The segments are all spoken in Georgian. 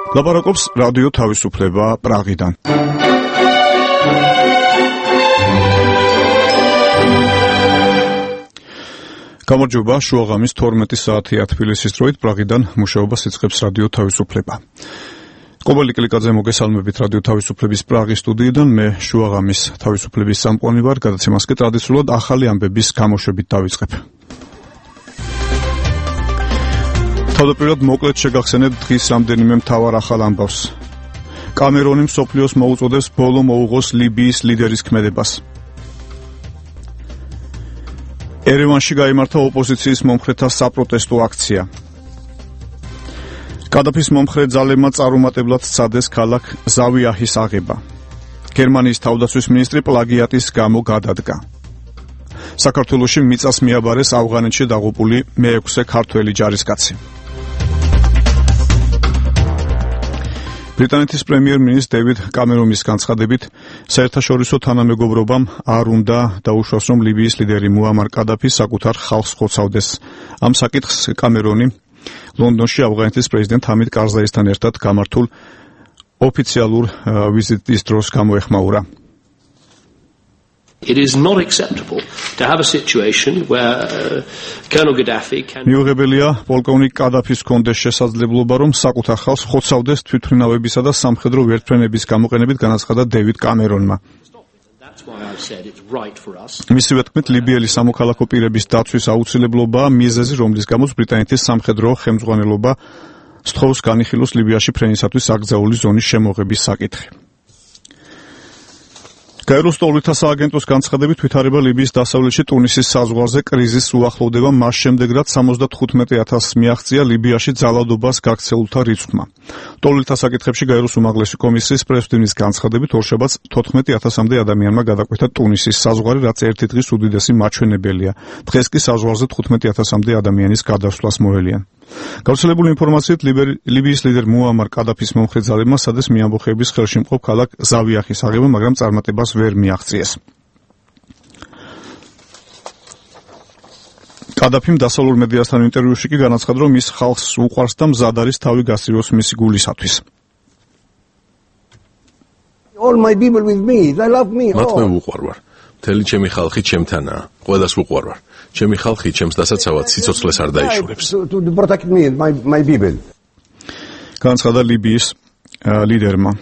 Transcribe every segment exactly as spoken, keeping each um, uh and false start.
ლაპარაკობს რადიო თავისუფლება პრაღიდან. გამარჯობა, შუაღამის თორმეტი საათია თბილისის დროით პრაღიდან მუშაობას იწყებს რადიო თავისუფლება. კობალი კლიკაძე მოგესალმებით რადიო თავისუფლების პრაღის სტუდიიდან, მე შუაღამის თავისუფლების სამყარო ვარ, გადაცემას კი ტრადიციულად ახალი ამბების გამოშვებით დავიწყებ. თავდაპირველად მოკლედ შეგახსენებთ დღის რამდენიმე მთავარ ახალ ამბავს. კამერონი მსოფლიოს მოუწოდებს ბოლო მოუღოს ლიბიის ლიდერის ქმედებას. ერევანში გაიმართა ოპოზიციის მომხრეთა საპროტესტო აქცია. კადაფის მომხრე ძალებმა წარუმატებლად სცადეს ქალაქ ზავიაჰის აღება. გერმანიის თავდაცვის მინისტრი პლაგიატის გამო გადადგა. საქართველოში მიწას მიაბარეს ავღანეთში დაღუპული მეექვსე ქართველი ჯარისკაცი. ბრიტანეთის პრემიერ-მინისტრ დევიდ კამერონის განცხადებით, საერთაშორისო თანამეგობრობამ არ უნდა დაუშვას, რომ ლიბიის ლიდერი მუამარ კადაფი საკუთარ ხალხს ხოცავდეს. ამ საკითხს კამერონი ლონდონში ავღანეთის პრეზიდენტ ჰამიდ კარზაისთან ერთად გამართულ ოფიციალურ ვიზიტის დროს გამოეხმაურა. It is not acceptable to have a situation where uh, Colonel Gaddafi can მიუღებელია პოლკოვნიკ კადაფის კონდეს შესაძლებლობა, რომ საკუთარ ხალხს ხოცავდეს თვითმფრინავებისა და სამხედრო ვერტმფრენების გამოყენებით, განაცხადა დევიდ კამერონმა. მისივე თქმით, ლიბიელი სამოქალაქო პირების დაცვის აუცილებლობაა მიზეზი, რომლის გამოც ბრიტანეთის სამხედრო ხელმძღვანელობა სთხოვს განიხილოს ლიბიაში ფრენისათვის აკრძალული ზონის შემოღების საკითხი. გაეროს ტოლვითა სააგენტოს განცხადებით, ვითარება ლიბიის დასავლეთში ტუნისის საზღვარზე კრიზისს უახლოვდება მას შემდეგ, რაც სამოცდათხუთმეტ ათასს მიაღწია ლიბიაში ძალადობას გაქცეულთა რიცხვმა. ტოლვითა საკითხებში გაეროს უმაღლესი კომისიის პრეზიდენტის განცხადებით, ორშაბათს თოთხმეტი ათასამდე ადამიანმა გადაკვეთა ტუნისის საზღვარი, რაც ერთი დღის უდიდესი მაჩვენებელია. დღეს კი საზღვარზე თხუთმეტი ათასამდე ადამიანის გადასვლას მოელიან. გავრცელებული ინფორმაციით, ლიბიის ლიდერ მუამარ კადაფის მომხრე ძალებმა სადეს მიამბოხების ხელში მყოფ ქალაქ ზავიაჰის აღება, მაგრამ წარმატებას ვერ მიაღწიეს. კადაფიმ დასავლურ მედიასთან ინტერვიუში კი განაცხადა, რომ ის ხალხს უყვარს და მზად არის თავი გასციროს მისი გულისათვის. All my people with me, they love me. მათ მე უყვარ ვარ. მთელი ჩემი ხალხი ჩემთანაა. ყველას უყვარ ვარ. ჩემი ხალხი ჩემს დასაცავად სიცოცხლეს არ დაიშურებს. To protect me and my my people. განაცხადა ლიბიის ლიდერმა.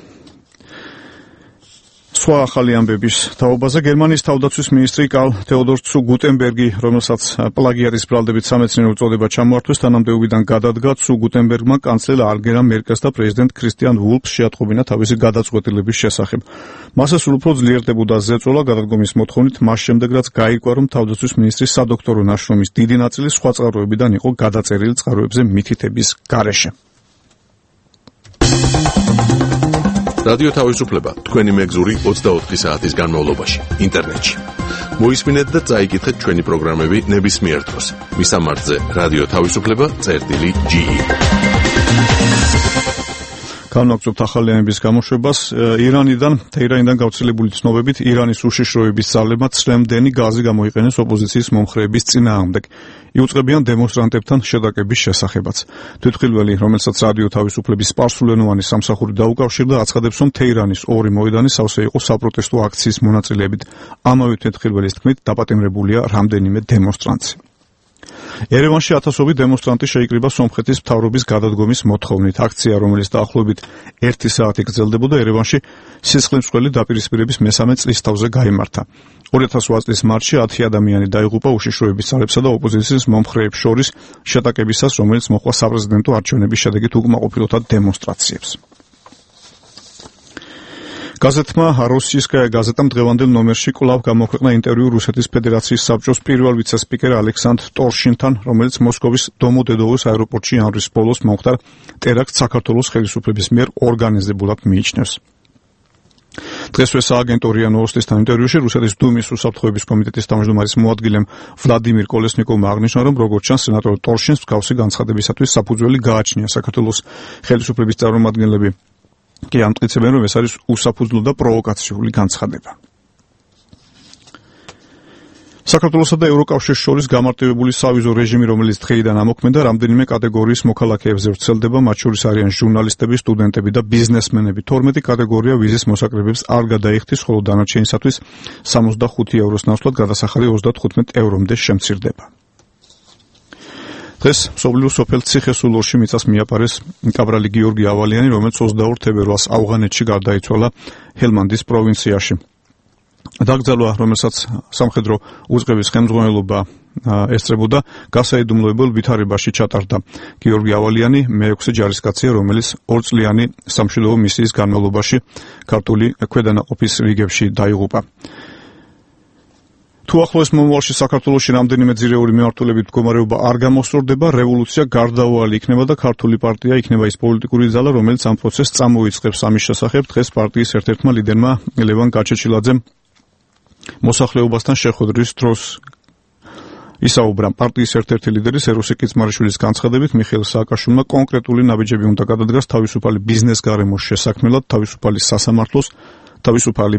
სხვა ახალი ამბების თაობაზე გერმანიის თავდაცვის მინისტრი კარლ თეოდორ ცუ გუტენბერგი, რომელსაც პლაგიატის ბრალდებით სამეცნიერო უწოდება ჩამოართვეს, თანამდებობიდან გადადგა. ცუ გუტენბერგმა კანცლერ ანგელა მერკელს და პრეზიდენტ ქრისტიან ვულფს შეატყობინა თავისი გადაწყვეტილების შესახებ. მასე სულ უფრო ძლიერდებოდა ზეწოლა გადადგომის მოთხოვნით, მას შემდეგ რაც გაირკვა, რომ თავდაცვის მინისტრის სადოქტორო ნაშრომის დიდი ნაწილი სხვა წყაროებიდან იყო გადაწერილი წყაროებზე მითითების გარეშე. რადიო თავისუფლება თქვენი მეგზური ოცდაოთხი საათის განმავლობაში ინტერნეტში. მოისმინეთ და წაიკითხეთ ჩვენი პროგრამები ნებისმიერ დროს. მისამართზე რადიო თავისუფლება წერტილი ჯი ი. განვაგრძობთ ახალი ამბების გამოშვებას. ირანიდან, თეირანიდან გავრცელებული ცნობებით, ირანის უშიშროების ძალებმა ცრემლდენი გაზი გამოიყენეს ოპოზიციის მომხრეების წინააღმდეგ. იუწყებიან დემონსტრანტებთან შეტაკების შესახებაც. თვითმხილველი, რომელსაც რადიო თავისუფლების სპარსულენოვანი სამსახური დაუკავშირდა, აცხადებს, რომ თეირანის ორი მოედანი სავსე იყო საპროტესტო აქციის მონაწილეებით. ამავე თვითმხილველის თქმით, დაპატიმრებულია რამდენიმე დემონსტრანტი. ერევანში ათასობით დემონსტრანტი შეიკრიბა სომხეთის მთავრობის გადადგომის მოთხოვნით. აქცია, რომელიც დაახლოებით ერთი საათი გრძელდებოდა, ერევანში სისხლისმცველი დაპირისპირების მესამე წლისთავზე გაიმართა. ორი ათას ოთხ წლის მარტში ათი ადამიანი დაიღუპა უშიშროების ძალებსა და ოპოზიციის მომხრეებს შორის შეტაკებისას, რომელიც მოჰყვა საპრეზიდენტო არჩევნების შედეგით უკმაყოფილოთა დემონსტრაციებს. გაზეთმა როსიისკაია გაზეტამ დღევანდელ ნომერში კვლავ გამოქვეყნა ინტერვიუ რუსეთის ფედერაციის საბჭოს პირველ ვიცე-სპიკერ ალექსანდრ ტორშინთან, რომელიც მოსკოვის დომოდედოვოს აეროპორტში იანვრის ბოლოს მომხდარ ტერაქტს საქართველოს ხელისუფლების მიერ ორგანიზებულად მიიჩნევს. დღესვე სააგენტო რია ნოვოსტისთან ინტერვიუში რუსეთის დუმის უსაფრთხოების კომიტეტის თავმჯდომარის მოადგილემ ვლადიმირ კოლესნიკოვმა აღნიშნა, რომ როგორც ჩანს, სენატორ ტორშინს მსგავსი განცხადებისათვის საფუძველი გააჩნია. საქართველოს ხელისუფლების წარმომადგენლები კი ამტკიცებენ, რომ ეს არის უსაფუძვლო და პროვოკაციული განცხადება. საქართველოსა და ევროკავშირის შორის გამარტივებული სავიზო რეჟიმი, რომელიც დღეიდან ამოქმედა, რამდენიმე კატეგორიის მოქალაქეებზე ვრცელდება, მათ შორის არიან ჟურნალისტები, სტუდენტები და ბიზნესმენები. თორმეტი კატეგორია ვიზის მოსაკრებებს არ გადაიხდის, ხოლო დანარჩენისათვის სამოცდახუთი ევროს ნაცვლად გადასახადი ოცდათხუთმეტ ევრომდე შემცირდება. დღეს მსოფლიო სოფელ ციხესულორში მიწას მიაპარეს კაბრალი გიორგი ავალიანი, რომელიც ოცდაორ თებერვალს ავღანეთში გარდაიცვალა ჰელმანდის პროვინციაში. დაკრძალვა, რომელსაც სამხედრო უწყების ხელმძღვანელობა ესწრებოდა, გასაიდუმლოებელ ვითარებაში ჩატარდა. გიორგი ავალიანი მეექვსე ჯარისკაცია, რომელიც ორწლიანი სამშვიდობო მისიის განმავლობაში ქართული ქვედანაყოფის რიგებში დაიღუპა. თუ ახლოს მომავალში საქართველოში რამდენიმე ძირეული მიმართულებით მდგომარეობა არ გამოსწორდება, რევოლუცია გარდაუვალი იქნება და ქართული პარტია იქნება ის პოლიტიკური ძალა, რომელიც ამ პროცესს წამოიწყებს. ამის შესახებ დღეს პარტიის ერთ-ერთმა ლიდერმა ლევან გაჩეჩილაძემ მოსახლეობასთან შეხვედრის დროს ისაუბრა. პარტიის ერთ-ერთი ლიდერი სეროსი კიცმარიშვილის განცხადებით, მიხეილ სააკაშვილმა კონკრეტული ნაბიჯები უნდა გადადგას თავისუფალი ბიზნეს გარემოს შესაქმნელად, თავისუფალი სასამართლოს, თავისუფალი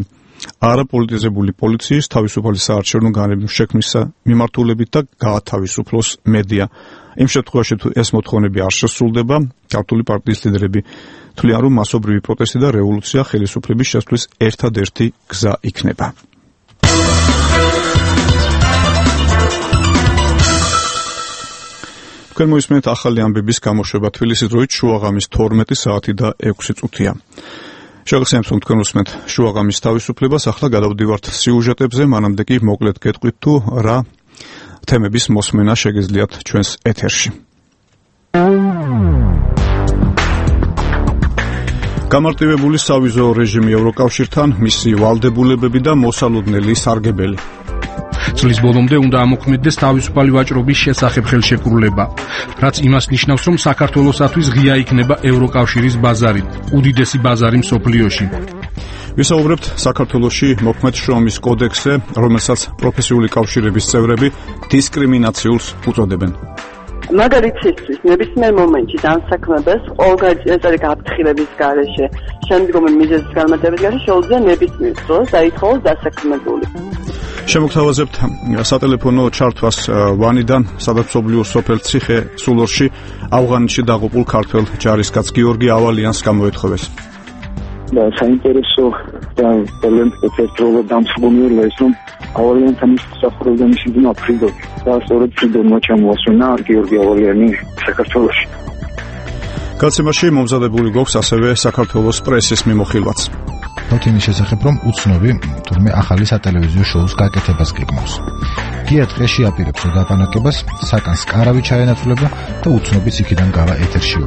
არაპოლიტიზებული პოლიციის, თავისუფალი საარჩევნო განრიგის შექმნის მიმართულებით და გაათავისუფლოს მედია. იმ შემთხვევაში, თუ ეს მოთხოვნები არ შესრულდება, ქართული პარტიის ლიდერები თვლიან, რომ მასობრივი პროტესტი და რევოლუცია ხელისუფლების შესვლის ერთადერთი გზა იქნება. თქვენ მოისმენთ ახალი ამბების გამოშვება თბილისის დროით შუაღამის თორმეტი საათი და ექვსი წუთია. შეგახსენებთ, რომ თქვენ უსმენთ შუაღამის თავისუფლებას, ახლა გადავდივართ სიუჟეტებზე, მანამდე კი მოკლედ გეტყვით, თუ რა თემების მოსმენა შეგეძლიათ ჩვენს ეთერში. გამარტივებული სავიზო რეჟიმი ევროკავშირთან, მისი ვალდებულებები და მოსალოდნელი სარგებელი. წლის ბოლომდე უნდა ამოქმედდეს თავისუფალი ვაჭრობის შესახებ ხელშეკრულება, რაც იმას ნიშნავს, რომ საქართველოსათვის ღია იქნება ევროკავშირის ბაზარი, უდიდესი ბაზარი მსოფლიოში. ვისაუბრებთ საქართველოში მოქმედ შრომის კოდექსზე, რომელსაც პროფესიული კავშირების წევრები დისკრიმინაციულს უწოდებენ. მაგალითისთვის, ნებისმიერ მომენტში დამსაქმებას ყოველგვარი გაფრთხილების გარეშე, შემდგომი მიზეზის განმარტების გარეშე შეუძლია ნებისმიერ დროს დაითხოვოს დასაქმებული. შემოგთავაზებთ სატელეფონო ჩართვას ვანიდან, სადაც მსოფლიო სოფელ ციხესულორში ავღანეთში დაღუპულ ქართველ ჯარისკაც გიორგი ავალიანს გამოეთხოვეს. და საინტერესო და ძალიან ერთდროულად დამსხმელია ის, რომ ავალიანთან ის მსახურობდა მისი ძმა ფრიდო და სწორედ ფრიდონმა ჩამოასვენა გიორგი ავალიანი საქართველოში. გაცემაში მომზადებული გვაქვს ასევე საქართველოს პრესის მიმოხილვაც. თითქმის შესახებ, რომ უცნობი თურმე ახალი სატელევიზიო შოუს გაკეთებას გეგმავს. გია დღეში აპირებს უდაპანაკებას, საკანს კარავი ჩაენაცვლება და უცნობიც იქიდან გავა ეთერში.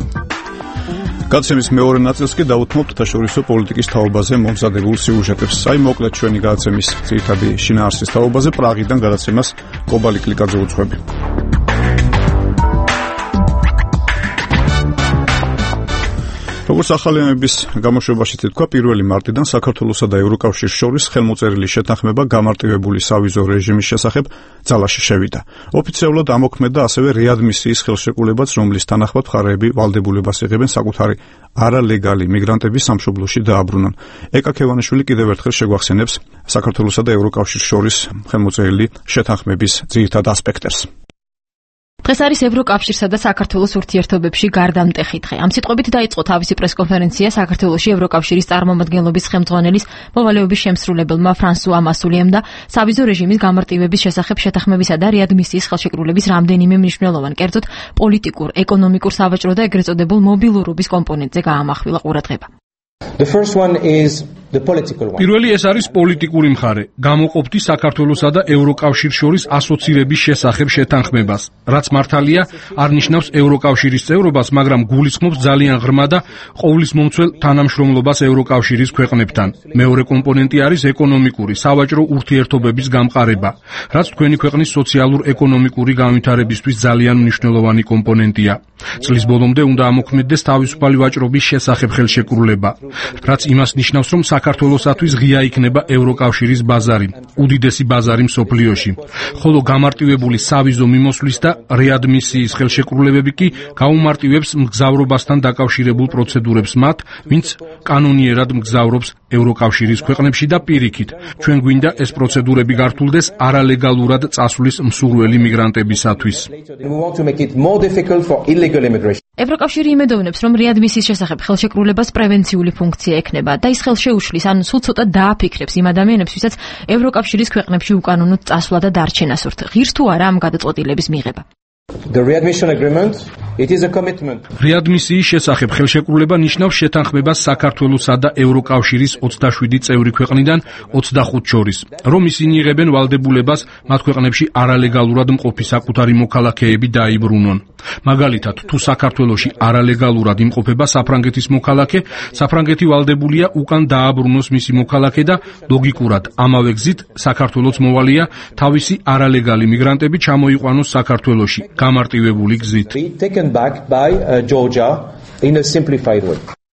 გაცემის მეორე ნაწილს კი დავუთმობთ თაშორისო პოლიტიკის თაობაზე მომზადებულ სიუჟეტებს. აი მოკლედ ჩვენი გაცემის ძირითადი შინაარსის თაობაზე პრაღიდან გადაცემას კობალი კლიკაძე უძღვები. როგორც ახალი ამბების გამოშვებაში თქვა, პირველი მარტიდან საქართველოსა და ევროკავშირის შორის ხელმოწერილი შეთანხმება გამარტივებული სავიზო რეჟიმის შესახებ ძალაში შევიდა. ოფიციალურად ამოქმედა ასევე რეადმისიის ხელშეკრულებაც, რომლის თანახმად მხარეები ვალდებულებას იღებენ საკუთარი არალეგალი მიგრანტების სამშობლოში დააბრუნონ. ეკა ქევანიშვილი კიდევ ერთხელ შეგვახსენებს საქართველოსა და ევროკავშირის შორის ხელმოწერილი შეთანხმების ძირითად ასპექტებს. დღეს არის ევროკავშირსა და საქართველოს ურთიერთობებში გარდამტეხი დღე. ამ სიტყვებით დაიწყო თავისი პრესკონფერენცია საქართველოში ევროკავშირის წარმომადგენლობის ხელმძღვანელის მოვალეობის შემსრულებელმა ფრანსუა მასულიემ და სავიზო რეჟიმის გამარტივების შესახებ შეთანხმებისა და რეადმისიის ხელშეკრულების რამდენიმე მნიშვნელოვან, კერძოდ პოლიტიკურ, ეკონომიკურ, სავაჭრო და ეგრეთ წოდებულ მობილურობის კომპონენტზე გაამახვილა ყურადღება. The first one is the political one. პირველი ეს არის პოლიტიკური მხარე. გამოყოფდი საქართველოსა და ევროკავშირის შორის ასოცირების შესახებ შეთანხმებას, რაც მართალია არ ნიშნავს ევროკავშირის წევრობას, მაგრამ გულისხმობს ძალიან ღრმა და ყოვლისმომცველ თანამშრომლობას ევროკავშირის ქვეყნებთან. მეორე კომპონენტი არის ეკონომიკური, სავაჭრო ურთიერთობების გამყარება, რაც თქვენი ქვეყნის სოციალურ-ეკონომიკური განვითარებისთვის ძალიან მნიშვნელოვანი კომპონენტია. წლის ბოლომდე უნდა ამოქმედდეს თავისუფალი ვაჭრობის შესახებ ხელშეკრულება, რაც იმას ნიშნავს, რომ საქართველოსათვის ღია იქნება ევროკავშირის ბაზარი, უდიდესი ბაზარი მსოფლიოში. ხოლო გამარტივებული სავიზო მიმოსვლის და რეადმისიის ხელშეკრულებები კი გაუმარტივებს მგზავრობასთან დაკავშირებულ პროცედურებს მათ, ვინც კანონიერად მგზავრობს ევროკავშირის ქვეყნებში და პირიქით. ჩვენ გვინდა ეს პროცედურები გართულდეს არალეგალურად წასვლის მსურველი მიგრანტებისათვის. ევროკავშირი იმედოვნებს, რომ რეადმისიის შესახებ ხელშეკრულებას პრევენციული ფუნქცია ექნება და ის ხელშეუშლის, ან სულ ცოტა დააფიქრებს იმ ადამიანებს, ვისაც ევროკავშირის ქვეყნებში უკანონოდ წასვლა და დარჩენა სურთ. ღირს თუ არა ამ გადაწყვეტილების მიღება. The readmission agreement, it is a commitment. რეადმისიის შესახებ ხელშეკრულება ნიშნავს შეთანხმებას საქართველოსა და ევროკავშირის ოცდაშვიდი წევრი ქვეყნიდან ოცდახუთ შორის, რომ ისინი იღებენ ვალდებულებას მათ ქვეყნებში არალეგალურად მყოფი საკუთარი მოქალაქეები დაიბრუნონ. მაგალითად, თუ საქართველოში არალეგალურად იმყოფება საფრანგეთის მოქალაქე, საფრანგეთი ვალდებულია უკან დააბრუნოს მისი მოქალაქე და ლოგიკურად ამავე გზით საქართველოს მოვალია თავისი არალეგალი მიგრანტები ჩამოიყვანოს საქართველოში გამარტივებული გზით.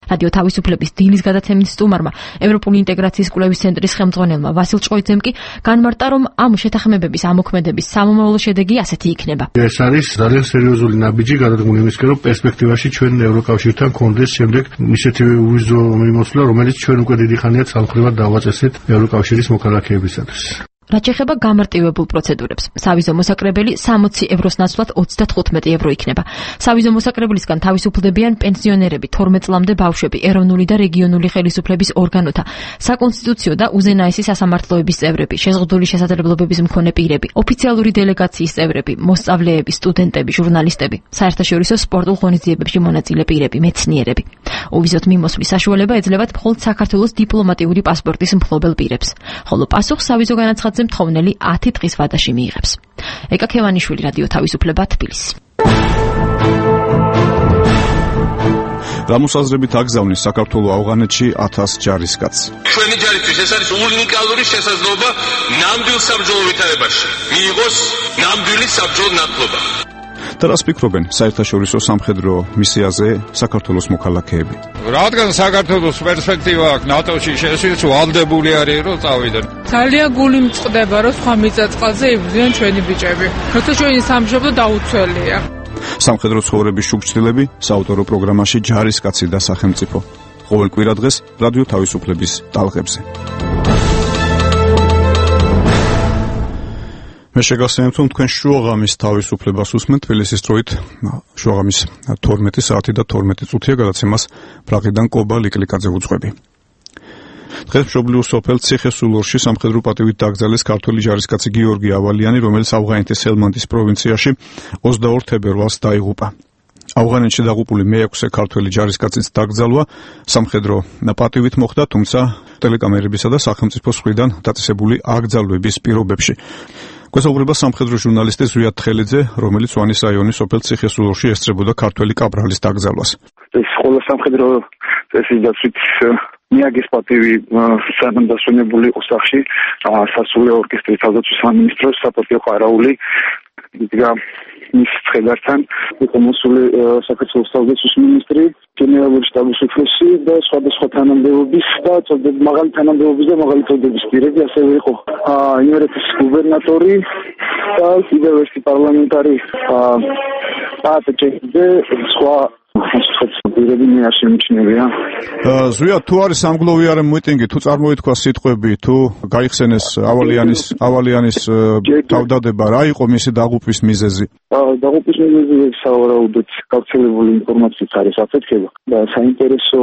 რადიო თავისუფლების დილის გადაცემის სტუმარმა, ევროპული ინტეგრაციის კვლევის ცენტრის ხელმძღვანელმა ვასილ ჭოიძემ კი განმარტა, რომ ამ შეთანხმებების ამოქმედების სამომავლო შედეგი ასეთი იქნება. ეს არის ძალიან სერიოზული ნაბიჯი გადადგმული იმისკენ, რომ პერსპექტივაში ჩვენ ევროკავშირთან კონდეს შემდეგ ისეთი უვიზო მიმოსვლა, რომელიც ჩვენ უკვე დიდი ხანია ცალმხრივად დავაწესეთ ევროკავშირის მოქალაქეებისათვის. რაც შეეხება გამარტივებულ პროცედურებს, სავიზო მოსაკრებელი სამოცი ევროს ნაცვლად ოცდათხუთმეტი евро იქნება. სავიზო მოსაკრებლისგან თავისუფლდებიან პენსიონერები, თორმეტ წლამდე ბავშვები, ეროვნული და რეგიონული ხელისუფლების ორგანოთა, საკონსტიტუციო და უზენაესი სასამართლოების წევრები, შეზღუდული შესაძლებლობების მქონე პირები, ოფიციალური დელეგაციის წევრები, მოსწავლეები, სტუდენტები, ჟურნალისტები, საერთაშორისო სპორტულ ღონისძიებებში მონაწილე პირები, მეცნიერები. უვიზოთ მიმოსვლის საშუალება ეძლევათ მხოლოდ საქართველოს დიპლომატიური პასპორტის მფლობელ პირებს, ხოლო პასუხს სავიზო განაცხადზე მთხოვნელი ათი დღის ვადაში მიიღებს. ეკა ქევანიშვილი, რადიო თავისუფლება, თბილისი. რამოსაზრებით აგზავნის საქართველოს ავღანეთში ათას ჯარისკაცს. ჩვენი ჯარისთვის ეს არის უნიკალური შესაძლებლობა ნამდვილ საბრძოლო ვითარებაში მიიღოს ნამდვილი საბრძოლო ნათლობა. და რას ფიქრობენ საერთაშორისო სამხედრო მისიაზე საქართველოს მოქალაქეები? რადგან საქართველოს პერსპექტივა აქვს ნატოში შესვლის, ვალდებული არის რომ წავიდნენ. ძალიან გული მწყდება რომ სხვა მიწაწყალზე იბრძვიან ჩვენი ბიჭები. როცა ჩვენი სამშობლო დაუცველია. სამხედრო ცხოვრების შუქჩილები საავტორო პროგრამაში ჯარისკაცი და სახელმწიფო. ყოველ კვირა დღეს რადიო თავისუფლების ტალღებზე. მე შეგახსენებთ, რომ თქვენ შუაღამის თავისუფლებას უსმენთ თბილისის დროით შუაღამის თორმეტი საათი და თორმეტი წუთია, გადაცემას პრაღიდან კობა ლიკლიკაძე უძღვები. დღეს მშობლიურ სოფელ ციხესულორში სამხედრო პატივით დაკრძალეს ქართველი ჯარისკაცი გიორგი ავალიანი, რომელიც ავღანეთის ჰელმანდის პროვინციაში ოცდაორ თებერვალს დაიღუპა. ავღანეთში დაღუპული მეექვსე ქართველი ჯარისკაცის დაკრძალვა სამხედრო პატივით მოხდა, თუმცა ტელეკამერებისა და სახელმწიფოს მხრიდან დაწესებული აკრძალვების პირობებში. გვესაუბრება სამხედრო ჟურნალისტი ზვიად თხელიძე, რომელიც ვანის რაიონის სოფელ ციხესულორში ესწრებოდა ქართველი კაბრალის დაკრძალვას. ეს ყველა სამხედრო წესის დაცვით მიაგეს პატივი სანამდასვენებული იყო სახში სასულე ორკესტრის თავდაცვის სამინისტროს საპატიო ყარაული იდგა მის ცხედართან, იყო მოსული საქართველოს თავდაცვის მინისტრი, გენერალური შტაბის უფროსი და სხვადასხვა თანამდებობის და მაღალი თანამდებობის და მაღალი წოდების პირები, ასევე იყო იმერეთის გუბერნატორი და კიდევ ერთი პარლამენტარი პატრიოტი სხვა პირები მე არ შემიჩნევია. ზვიად, თუ არის სამგლოვიარე მიტინგი, თუ წარმოითქვა სიტყვები, თუ გაიხსენეს ავალიანის ავალიანის თავდადება, რა იყო მისი დაღუპვის მიზეზი? დაღუპვის მიზეზი სავარაუდოდ გავრცელებული ინფორმაციით არის აფეთქება და საინტერესო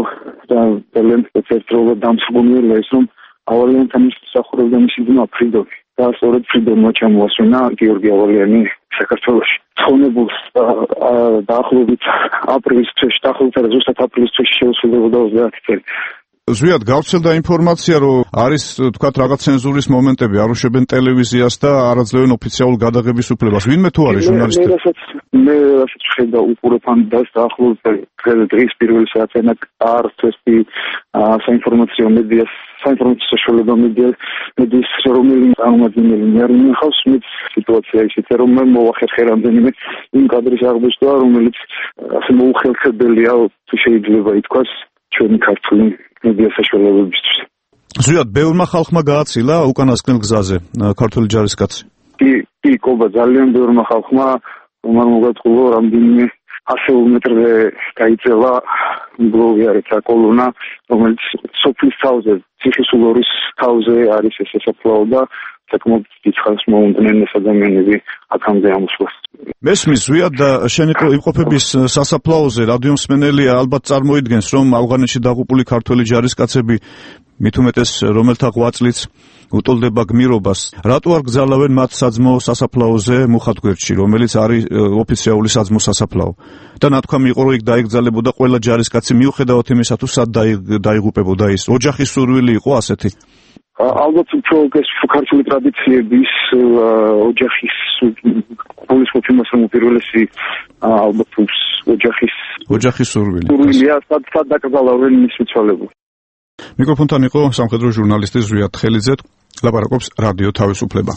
და ძალიან ერთდროულად დამსხმუნველია ის, რომ ავალიანთან მსახურობდა მისი ძმა ფრიდონი და სწორედ ფრიდონმა ჩამოასვენა გიორგი ავალიანი საქართველოში. ცხონებულს დაახლოებით აპრილის თვეში, დაახლოებით არა ზუსტად აპრილის თვეში შეუსრულებოდა ოცდაათი წელი. ზვიად, გავრცელდა ინფორმაცია, რომ არის თქვათ რაღაც ცენზურის მომენტები, არ უშვებენ ტელევიზიას და არ აძლევენ ოფიციალურ გადაღების უფლებას. ვინმე თუ არის ჟურნალისტი? მე რასაც ხედა უყურებამ და დაახლოებით დღის პირველი საათიანად არცერთი საინფორმაციო მედიას საინფორმაციო საშუალება მედიის რომელი წარმომადგენელი არ ინახავს მე სიტუაცია ისეთი რომ მე მოვახერხე რამდენიმე იმ კადრის აღბეჭდა რომელიც ასე მოუხელხებელია თუ შეიძლება ითქვას ჩვენი ქართული მედია საშუალებებისთვის. ზუსტად ბევრმა ხალხმა გააცილა უკანასკნელ გზაზე ქართული ჯარისკაცი. კი, კი, კობა ძალიან ბევრმა ხალხმა უმარ მოგაწყულა რამდენიმე ასეულ მეტრზე გაიწელა ბლოგიერით კოლონა, რომელიც სოფლის თავზე, ციხისულორის თავზე არის ეს სასაფლაო და საკმაოდ დიდხანს მოუნდნენ ეს ადამიანები აქამდე ამოსვლას. მესმის ზვიად და შენი იმყოფების სასაფლაოზე რადიომსმენელი ალბათ წარმოიდგენს, რომ ავღანეთში დაღუპული ქართველი ჯარისკაცები მით უმეტეს რომელთა ღვაწლიც უტოლდება გმირობას, რატო არ გზავნავენ მათ საძმო სასაფლაოზე მუხათგვერდში, რომელიც არის ოფიციალური საძმო სასაფლაო? და ნათქვამი იყო, რომ იქ დაიგზალებოდა ყველა ჯარისკაცი, მიუხედავად იმისა, თუ სად დაიღუპებოდა ის. ოჯახის სურვილი იყო ასეთი. ალბათ უფრო ეს ქართული ტრადიციების ოჯახის პოლისმოთი მასამ უპირველესი ალბათ ოჯახის ოჯახის სურვილი. სურვილია სად სად დაკრძალავენ მის მიცვალებულს. მიკროფონთან იყო სამხედრო ჟურნალისტი ზვიად ხელიძე, ლაპარაკობს რადიო თავისუფლება.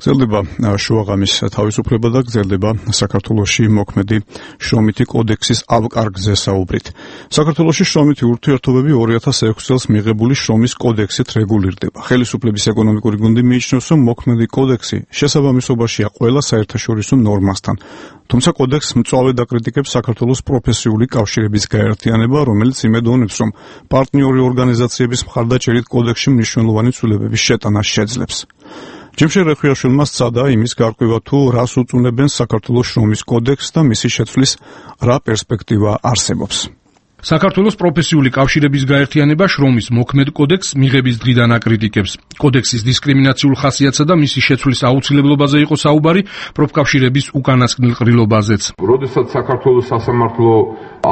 გრძელდება შუაღამის თავისუფლება და გრძელდება საქართველოში მოქმედი შრომითი კოდექსის ავკარგზე საუბრით. საქართველოში შრომითი ურთიერთობები ორი ათას ექვსი წელს მიღებული შრომის კოდექსით რეგულირდება. ხელისუფლების ეკონომიკური გუნდი მიიჩნევს, რომ მოქმედი კოდექსი შესაბამისობაშია ყველა საერთაშორისო ნორმასთან. თუმცა კოდექსს მწვავედ აკრიტიკებს საქართველოს პროფესიული კავშირების გაერთიანება, რომელიც იმედოვნებს, რომ პარტნიორი ორგანიზაციების მხარდაჭერით კოდექსში მნიშვნელოვანი ცვლილებების შეტანა შეძლებს. ჯიმშე რეხვიაშვილმა სცადა იმის გარკვევა, თუ რას უწუნებენ საქართველოს შრომის კოდექსს და მისი შეცვლის რა პერსპექტივა არსებობს. საქართველოს პროფესიული კავშირების გაერთიანება შრომის მოქმედ კოდექსს მიღების დღიდან აკრიტიკებს. კოდექსის დისკრიმინაციულ ხასიათსა და მისი შეცვლის აუცილებლობაზე იყო საუბარი პროფკავშირების უკანასკნელ ყრილობაზეც. როდესაც საქართველოს სასამართლო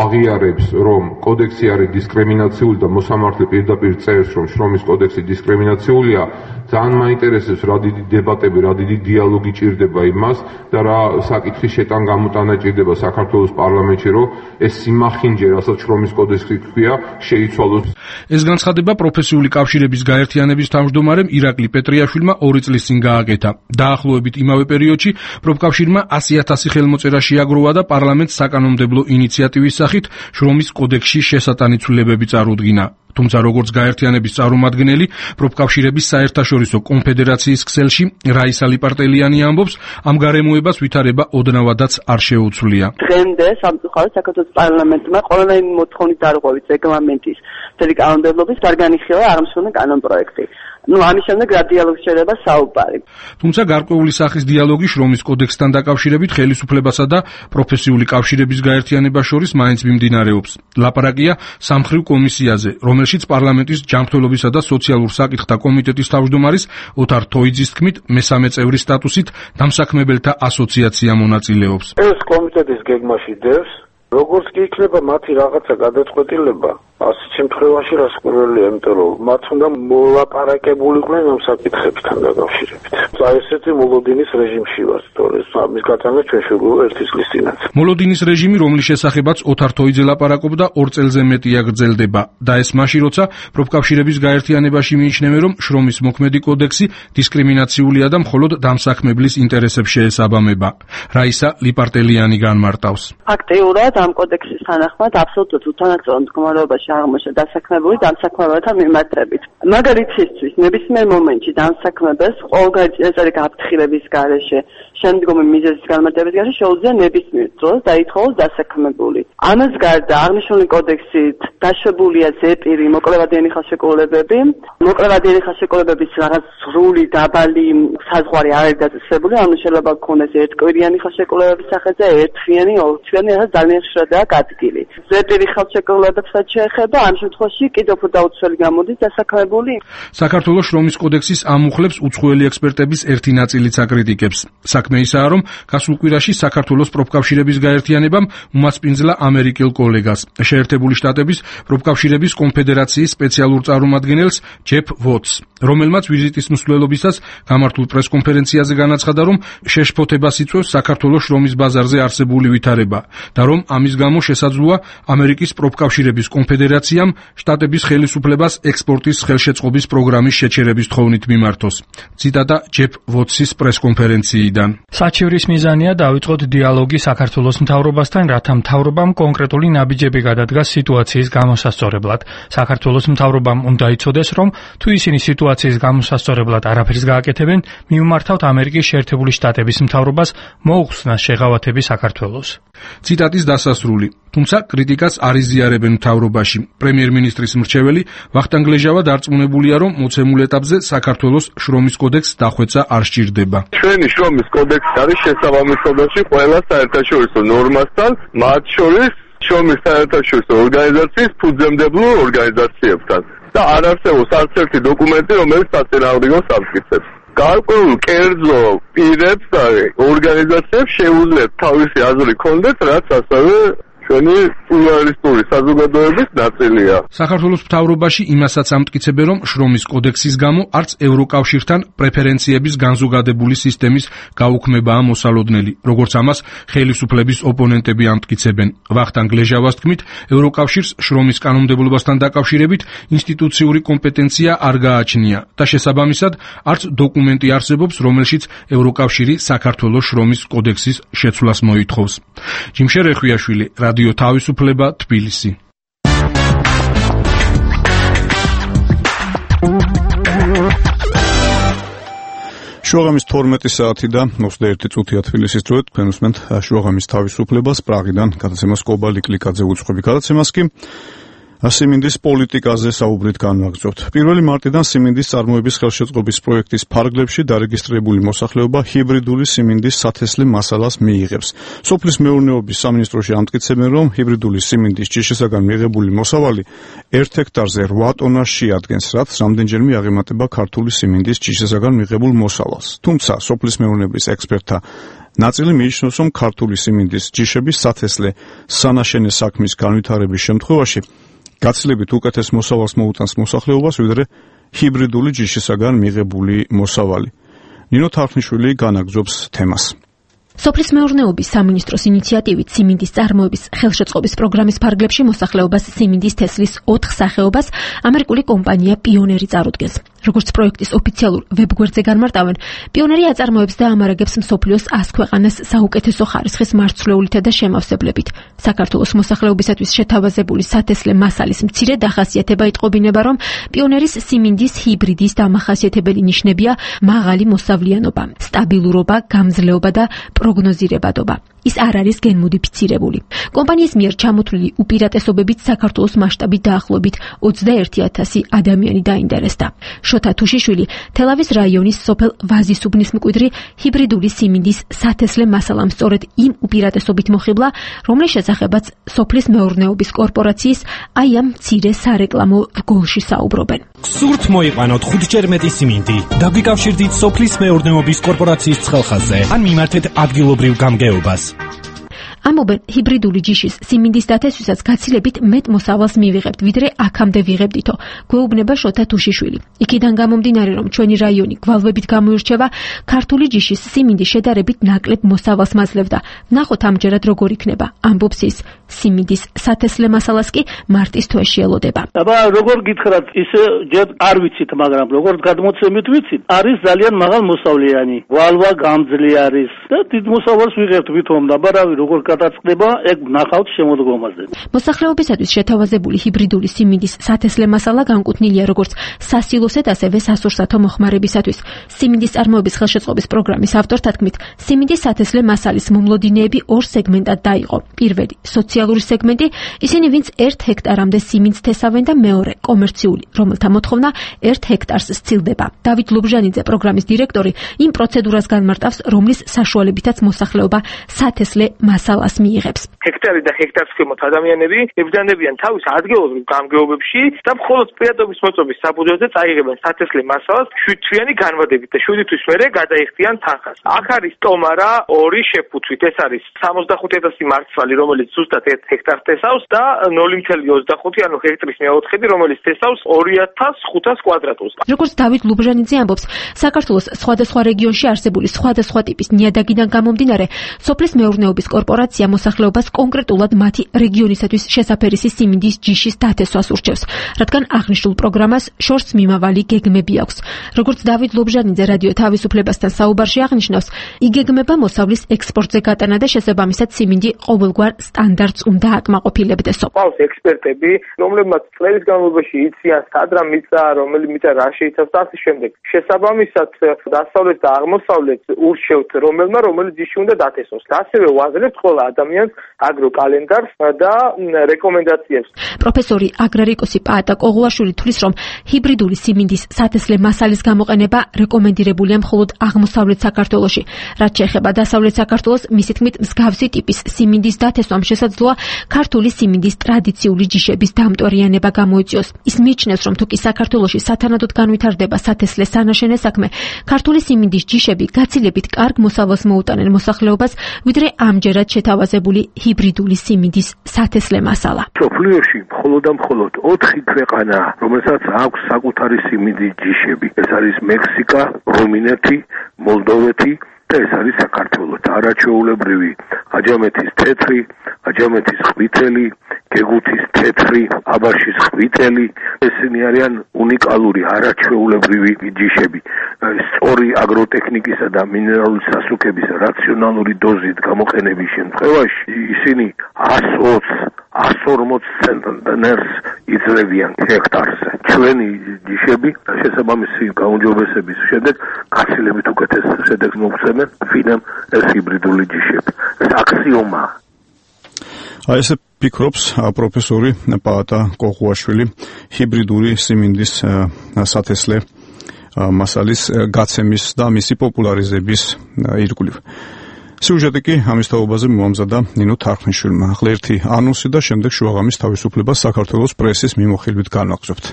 აღიარებს, რომ კოდექსი არის დისკრიმინაციული და მოსამართლე პირდაპირ წერს, რომ შრომის კოდექსი დისკრიმინაციულია, ძალიან მაინტერესებს რა დიდი დებატები, რა დიდი დიალოგი ჭირდება იმას და რა საკითხის შეტან გამოტანა ჭირდება საქართველოს პარლამენტში, რომ ეს სიმახინჯე, რასაც შრომის კოდექსი ქვია, შეიცვალოს. ეს განცხადება პროფესიული კავშირების გაერთიანების თავმჯდომარემ ირაკლი პეტრიაშვილმა ორი წლის წინ გააკეთა. დაახლოებით იმავე პერიოდში პროფკავშირმა ასი ათასი ხელმოწერა შეაგროვა და პარლამენტს საკანონმდებლო ინიციატივის სახით შრომის კოდექსში შესატანი ცვლილებები წარუდგინა. თუმცა როგორც გაერთიანების წარმომადგენელი პროფკავშირების საერთაშორისო კონფედერაციის ქსელში რაისა ლიპარტელიანი ამბობს, ამ გარემოებას ვითარება ოდნავადაც არ შეუცვლია. დღემდე სამწუხაროდ საქართველოს პარლამენტმა ყველანაირი მოთხოვნის დარღვევით რეგლამენტის მთელი კანონმდებლობის არ განიხილა აღმსვენებელი კანონპროექტი. ნუ ამის შემდეგ რა დიალოგს შეიძლება საუბარი. თუმცა გარკვეული სახის დიალოგი შრომის კოდექსთან დაკავშირებით ხელისუფლებასა და პროფესიული კავშირების გაერთიანებას შორის მაინც მიმდინარეობს. ლაპარაკია სამმხრივ კომისიაზე, რომელშიც პარლამენტის ჯანმრთელობისა და სოციალურ საკითხთა კომიტეტის თავმჯდომარის ოთარ თოიძის თქმით, მესამე წევრის სტატუსით დამსაქმებელთა ასოციაცია მონაწილეობს. ეს კომიტეტის გეგმაში დევს, როგორც კი იქნება მათი რაღაცა გადაწყვეტილება, ასეთ შემთხვევაში რას კურველია, იმიტომ რომ მათ უნდა მოლაპარაკებულიყვნენ ამ საკითხებთან დაკავშირებით. აი ესეთი მოლოდინის რეჟიმში ვართ, თორე ამის გატანა ჩვენ შეგვიძლია ერთი წლის წინაც. მოლოდინის რეჟიმი, რომლის შესახებაც ოთარ თოიძე ლაპარაკობდა, ორ წელზე მეტია გრძელდება და ეს მაშინ, როცა პროფკავშირების გაერთიანებაში მიიჩნევენ, რომ შრომის მოქმედი კოდექსი დისკრიმინაციულია და მხოლოდ დამსაქმებლის ინტერესებს შეესაბამება. რაისა ლიპარტელიანი განმარტავს. აქტიურად ამ კოდექსის თანახმად აბსოლუტურად უთანასწორო მდგომარეობაში აღმოჩნდა დასაქმებული დამსაქმებელთა მიმართებით. მაგალითისთვის, ნებისმიერ მომენტში დამსაქმებელს ყოველგვარი წინასწარი გაფრთხილების გარეშე, შემდგომი მიზეზის განმარტების გარეშე შეუძლია ნებისმიერ დროს დაითხოვოს დასაქმებული. ამას გარდა აღნიშნული კოდექსით დაშვებულია ზეპირი მოკლევადიანი ხელშეკრულებები. მოკლევადიანი ხელშეკრულებების რაღაც სრული დაბალი საზღვარი არ არის დაწესებული, ანუ შეიძლება გქონდეს ერთკვირიანი ხელშეკრულებების სახეზე, ერთთვიანი, ორთვიანი, რაც ძალიან ხშირადაა გადგილი. ზეპირი ხელშეკრულებებსაც შეეხება, ამ შემთხვევაში კიდევ უფრო დაუცველი გამოდის დასაქმებული. საქართველოს შრომის კოდექსის ამ მუხლებს უცხოელი ექსპერტების ერთი ნაწილიც აკრიტიკებს. საქმე ისაა, რომ გასულ კვირაში საქართველოს პროფკავშირების გაერთიანებამ უმასპინძლა ამერიკელ კოლეგას, შეერთებული შტატების პროფკავშირების კონფედერაციის სპეციალურ წარმომადგენელს ჯეფ ვოტს, რომელმაც ვიზიტის მსვლელობისას გამართულ პრესკონფერენციაზე განაცხადა, რომ შეშფოთებას იწვევს საქართველოს შრომის ბაზარზე არსებული ვითარება და რომ ამის გამო შესაძლოა ამერიკის პროფკავშირების კონფედერაციამ შტატების ხელისუფლებას ექსპორტის ხელშეწყობის პროგრამის შეჩერების თხოვნით მიმართოს. ციტატა ჯეფ ვოტსის პრესკონფერენციიდან. საჩივრის მიზანია დავიწყოთ დიალოგი საქართველოს მთავრობასთან, რათა მთავრობამ კონკრეტული ნაბიჯები გადადგას სიტუაციის გამოსასწორებლად. საქართველოს მთავრობამ უნდა იცოდეს, რომ თუ ისინი სიტუაციის გამოსასწორებლად არაფერს გააკეთებენ, მივმართავთ ამერიკის შეერთებული შტატების მთავრობას მოუხსნას შეღავათები საქართველოს. ციტატის დასასრული. თუმცა კრიტიკას არ იზიარებენ მთავრობაში. პრემიერ-მინისტრის მრჩეველი ვახტანგ ლეჟავა დარწმუნებულია, რომ მოცემულ ეტაპზე საქართველოს შრომის კოდექსს დახვეწა არ სჭირდება. ჩვენი შრომის კოდექსი არის შესაბამისობაში ყველა საერთაშორისო ნორმასთან, მათ შორის შრომის საერთაშორისო ორგანიზაციის ფუძემდებელ ორგანიზაციებთან და არ არსებობს არც ერთი დოკუმენტი, რომელიც საწინააღმდეგოს ამტკიცებს. გარკვეულ კერძო პირებს და ორგანიზაციებს შეუძლიათ თავისი აზრი ქონდეთ, რაც ასევე ჩვენი პლურალისტური საზოგადოების ნაწილია. საქართველოს მთავრობაში იმასაც ამტკიცებენ, რომ შრომის კოდექსის გამო არც ევროკავშირთან პრეფერენციების განზოგადებული სისტემის გაუქმებაა მოსალოდნელი, როგორც ამას ხელისუფლების ოპონენტები ამტკიცებენ. ვახტანგ ლეჟავას თქმით, ევროკავშირს შრომის კანონმდებლობასთან დაკავშირებით ინსტიტუციური კომპეტენცია არ გააჩნია და შესაბამისად არც დოკუმენტი არსებობს, რომელშიც ევროკავშირი საქართველოს შრომის კოდექსის შეცვლას მოითხოვს. ჯიმშე რეხვიაშვილი, რადიო თავისუფლება, თბილისი. შუაღამის თორმეტი საათი და ოცდაერთი წუთია თბილისის დროით. თქვენ უსმენთ შუაღამის თავისუფლებას. პრაღიდან გადაცემას კობა ლიკლიკაძე უწყობი. გადაცემას კი სიმინდის პოლიტიკაზე საუბრით განვაგრძობთ. პირველი მარტიდან სიმინდის წარმოების ხელშეწყობის პროექტის ფარგლებში დარეგისტრირებული მოსახლეობა ჰიბრიდული სიმინდის სათესლე მასალას მიიღებს. სოფლის მეურნეობის სამინისტროში ამტკიცებენ, რომ ჰიბრიდული სიმინდის ჯიშისაგან მიღებული მოსავალი ერთ ჰექტარზე რვა ტონას შეადგენს, რაც რამდენჯერმე აღემატება ქართული სიმინდის ჯიშისაგან მიღებულ მოსავალს. თუმცა სოფლის მეურნეობის ექსპერტთა ნაწილი მიიჩნევს, რომ ქართული სიმინდის ჯიშების სათესლე სანაშენე საქმის განვითარების შემთხვევაში გაცილებით უკეთეს მოსავალს მოუტანს მოსახლეობას, ვიდრე ჰიბრიდული ჯიშისაგან მიღებული მოსავალი. ნინო თარხნიშვილი განაგრძობს თემას. სოფლის მეურნეობის სამინისტროს ინიციატივით სიმინდის წარმოების ხელშეწყობის პროგრამის ფარგლებში მოსახლეობას სიმინდის თესლის ოთხ სახეობას ამერიკული კომპანია პიონერი წარუდგენს. როგორც პროექტის ოფიციალურ ვებგვერდზე განმარტავენ, პიონერი აწარმოებს და ამარაგებს მსოფლიოს ას ქვეყანას საუკეთესო ხარისხის მარცვლეულითა და შემავსებლებით. საქართველოს მოსახლეობისათვის შეთავაზებული სათესლე მასალის მცირე დახასიათება იტყობინება, რომ პიონერის სიმინდის ჰიბრიდის დამახასიათებელი ნიშნებია მაღალი მოსავლიანობა, სტაბილურობა, გამძლეობა და პროგნოზირებადობა. ის არ არის გენმოდიფიცირებული. კომპანიის მიერ ჩამოთვლილი უპირატესობებით საქართველოს მასშტაბით დაახლოებით ოცდაერთი ათასი ადამიანი დაინტერესდა. შოთა თუშიშვილი თელავის რაიონის სოფელ ვაზისუბნის მკვიდრი ჰიბრიდული სიმინდის სათესლე მასალამ სწორედ იმ უპირატესობით მოხიბლა, რომლის შესახებაც სოფლის მეურნეობის კორპორაციის აი ამ მცირე სარეკლამო რგოლში საუბრობენ. გსურთ მოიყვანოთ ხუთჯერ მეტი სიმინდი. დაგვიკავშირდით სოფლის მეურნეობის კორპორაციის ცხელხაზზე. ან მიმართეთ ადგილობრივ გამგეობას. ამობენ ჰიბრიდული ჯიშის სიმინდის დათესვისას გაცილებით მეტ მოსავალს მივიღებთ, ვიდრე აქამდე ვიღებდითო, გვეუბნება შოთა თუშიშვილი. იქიდან გამომდინარე, რომ ჩვენი რაიონი გვალვებით გამოირჩევა, ქართული ჯიშის სიმინდი შედარებით ნაკლებ მოსავალს მაძლევდა. ნახოთ ამჯერად როგორ იქნება, ამბობს ის. სიმინდის სათესლე მასალას კი მარტის თვეში ელოდება. აბა როგორ გითხრათ, ისე ჯერ არ ვიცით, მაგრამ როგორ გადმოცემით ვიცით, არის ძალიან მაღალ მოსავლიანი. გვალვა გამძლე არის და დიდ მოსავალს ვიღებთ ვითომ, აბა რავი როგორ გადაწყდება, ეგ ნახავთ შემოდგომაზე. მოსახლეობისათვის შეთავაზებული ჰიბრიდული სიმინდის სათესლე მასალა განკუთვნილია როგორც სასილოსეთ, ასევე სასურსათო მოხმარებისათვის. სიმინდის წარმოების ხელშეწყობის პროგრამის ავტორთა თქმით, სიმინდის სათესლე მასალის მომლოდინეები ორ სეგმენტად დაიყო. პირველი სოციალური სეგმენტი, ისინი ვინც ერთ ჰექტარამდე სიმინდს თესავენ და მეორე კომერციული, რომელთა მოთხოვნა ერთ ჰექტარს სცილდება. დავით ლობჟანიძე, პროგრამის დირექტორი, იმ პროცედურას განმარტავს, რომლის საშუალებითაც მოსახლეობა სათესლე მასალას მიიღებს. ჰექტარი და ჰექტარს ქვემოთ ადამიანები ებრძანებიან თავის ადგილობრივ გამგეობებში და მხოლოდ პირადობის მოწობის საფუძველზე წაიღებენ სათესლე მასალას შვიდთვიანი განვადებით და შვიდი თვის მერე გადაიხდიან თანხას. აქ არის ტომარა ორი შეფუთვით, ეს არის სამოცდახუთი ათასი მარცვალი, რომელიც ზუსტად ოცდაერთი ჰექტარს თესავს და ნული ოცდაოთხ ანუ ჰექტრის მეოთხედი, რომელიც თესავს ორი ათას ხუთას კვადრატულს. როგორც დავით ლუბრჟანიძე ამბობს, საქართველოს სხვადასხვა რეგიონში არსებული სხვადასხვა ტიპის ნიადაგიდან გამომდინარე, სოფლის მეურნეობის კორპორაცია მოსახლეობას კონკრეტულად მათი რეგიონისათვის შესაფერისი სიმინდის ჯიშის დათესვას ურჩევს, რადგან აღნიშნულ პროგრამას შორს მიმავალი გეგმები აქვს. როგორც დავით ლუბრჟანიძე რადიო თავისუფლებასთან საუბარში აღნიშნავს, იგეგმება მოსავლის ექსპორტზე გატანა და შესაბამისად სიმინდი ყოველგვარ სტანდარტს უნდა აკმაყოფილებდესო. ყავს ექსპერტები, რომლებმაც წლების განმავლობაში იციან სად რა მიწა, რომელი მიწა რა შეიცავს და ასე შემდეგ. შესაბამისად დასავლეთ და აღმოსავლეთ ურჩევთ რომელმა რომელი ჯიში უნდა დათესოს. ასევე ვაზრებთ ყველა ადამიანს აგროკალენდარს და რეკომენდაციებს. პროფესორი აგრარიკოსი პაატა კოღუაშვილი თვლის, რომ ჰიბრიდული სიმინდის სათესლე მასალის გამოყენება რეკომენდირებულია მხოლოდ აღმოსავლეთ საქართველოში. რაც შეეხება დასავლეთ საქართველოს, მისი თქმით, მსგავსი ტიპის სიმინდის დათესვამ შესაძლოა ქართული სიმინდის ტრადიციული ჯიშების დამტვერიანება გამოიწვიოს. ის მიიჩნევს, რომ თუკი საქართველოში სათანადოდ განვითარდება სათესლე სანაშენე საქმე, ქართული სიმინდის ჯიშები გაცილებით კარგ მოსავალს მოუტანენ მოსახლეობას, ვიდრე ამჯერად შეთავაზებული ჰიბრიდული სიმინდის სათესლე მასალა. სოფლიოში მხოლოდ და მხოლოდ ოთხი ქვეყანა, რომელსაც აქვს საკუთარი სიმინდის ჯიშები. ეს არის მექსიკა, რუმინეთი, მოლდოვეთი და ეს არის საქართველო. არაჩვეულებრივი აჯამეთის თეთრი, აჯამეთის ყვითელი, გეგუთის თეთრი, აბაშის ყვითელი, ესენი არიან უნიკალური არაჩვეულებრივი ჯიშები. სწორი აგროტექნიკისა და მინერალური სასუქების რაციონალური დოზით გამოყენების შემთხვევაში ისინი εκατს ორმოც ცენტნერს იძლევიან ჰექტარზე. ჩვენი ჯიშები შესაბამისი გაუმჯობესების შემდეგ გაცილებით უკეთეს შედეგს მოგცემენ, ვინმე ეს ჰიბრიდული ჯიშები. ეს აქსიომაა. აი ესე ფიქრობს პროფესორი პაატა კოღუაშვილი ჰიბრიდული სიმინდის სათესლე მასალის გაცემის და მისი პოპულარიზების ირგვლივ. სიუჟეტი კი ამის თაობაზე მოამზადა ნინო თარხნიშვილმა. ახლა ერთი ანონსი და შემდეგ შუაღამის თავისუფლებას საქართველოს პრესის მიმოხილვით განვაგრძობთ.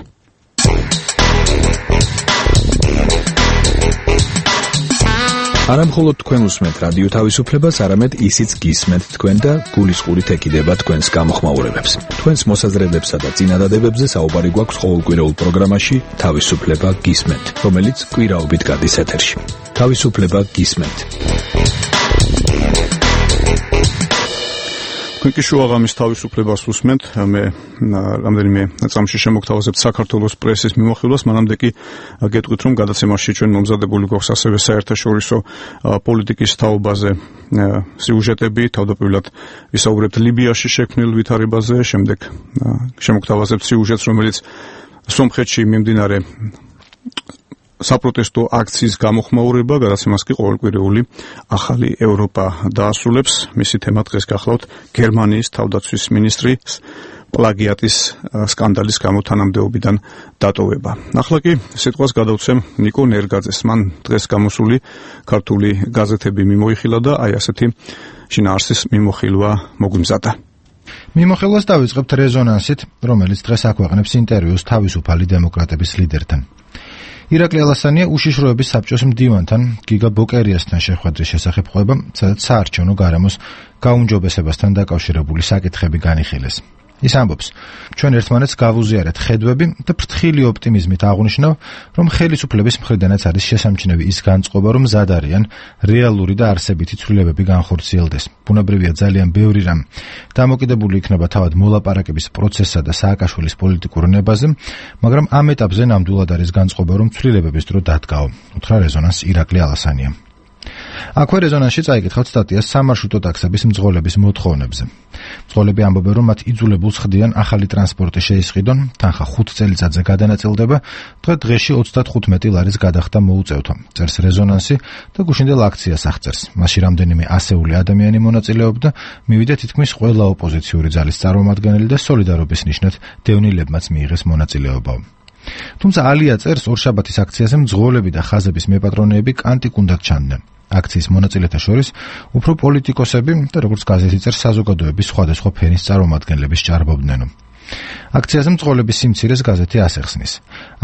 არა მხოლოდ თქვენ უსმენთ რადიო თავისუფლებას, არამედ ისიც გისმენთ თქვენ და გულისყურით ეკიდება თქვენს გამოხმაურებებს. თქვენს მოსაზრებებსა და წინადადებებზე საუბარი გვაქვს ყოველკვირეულ პროგრამაში თავისუფლება გისმენთ, რომელიც კვირაობით გადის ეთერში. თავისუფლება გისმენთ. თქვენ კი შუაღამის თავისუფლებას უსმენთ. მე რამდენიმე წამში შემოგთავაზებთ საქართველოს პრესის მიმოხილვას, მანამდე კი გეტყვით, რომ გადაცემაში ჩვენ მომზადებული გვაქვს ასევე საერთაშორისო პოლიტიკის თაობაზე სიუჟეტები, თავდაპირველად ვისაუბრებთ ლიბიაში შექმნილ ვითარებაზე, შემდეგ შემოგთავაზებთ სიუჟეტს, რომელიც სომხეთში მიმდინარე საპროტესტო აქციის გამოხმაურება, გადაცემას კი ყოველკვირეული ახალი ევროპა დაასრულებს. მისი თემა დღეს გახლავთ გერმანიის თავდაცვის მინისტრის პლაგიატის სკანდალის გამო თანამდებობიდან დატოვება. ახლა კი სიტყვას გადავცემ ნიკო ნერგაძეს. მან დღეს გამოსული ქართული გაზეთები მიმოიხილა და აი ასეთი შინაარსის მიმოხილვა მოგვიმზადა. მიმოხილვას დავიწყებთ რეზონანსით, რომელიც დღეს აქვეყნებს ინტერვიუს თავისუფალი დემოკრატების ლიდერთან. ირაკლი ალასანია უშიშროების საბჭოს მდივანთან გიგა ბოკერიასთან შეხვედრის შესახებ ყვება, სადაც საარჩევნო გარემოს გაუმჯობესებასთან დაკავშირებული საკითხები განიხილეს. ის ამბობს, ჩვენ ერთმანეთს გავუზიარეთ ხედვები და ფრთხილი ოპტიმიზმით აღვნიშნავ, რომ ხელისუფლების მხრიდანაც არის შესამჩნევი ის განწყობა, რომ მზად არიან რეალური და არსებითი ცვლილებები განხორციელდეს. ბუნებრივია ძალიან ბევრი რამ დამოკიდებული იქნება თავად მოლაპარაკების პროცესსა და სააკაშვილის პოლიტიკურ ნებაზე, მაგრამ ამ ეტაპზე ნამდვილად არის განწყობა, რომ ცვლილებების დრო დადგაო, უთხრა რეზონანსს ირაკლი ალასანია. აქვე რეზონანსში წაიკითხავთ სტატიას სამარშრუტო ტაქსების მძღოლების მოთხოვნებზე. მძღოლები ამბობენ, რომ მათ იძულებულს ხდიან ახალი ტრანსპორტი შეისყიდონ, თანხა ხუთ წელიწადზე გადანაწილდება, დღე დღეში ოცდათხუთმეტი ლარის გადახდა მოუწევთო. წერს რეზონანსი და გუშინდელ აქციას აღწერს. მასში რამდენიმე ასეული ადამიანი მონაწილეობდა, მივიდა თითქმის ყველა ოპოზიციური ძალის წარმომადგენელი და სოლიდარობის ნიშნად დევნილებმაც მიიღეს მონაწილეობა. თუმცა ალია წერს, ორშაბათის აქციაზე მძღოლები და ხაზების მეპატრონეები კანტიკუნდად ჩანდნენ. აქციის მონაწილეთა შორის უფრო პოლიტიკოსები და როგორც გაზეთი წერს, საზოგადოების სხვადასხვა ფენის წარმომადგენლები სჭარბობდნენ. აქციაზე მძღოლების სიმცირეს გაზეთი ასახსნის.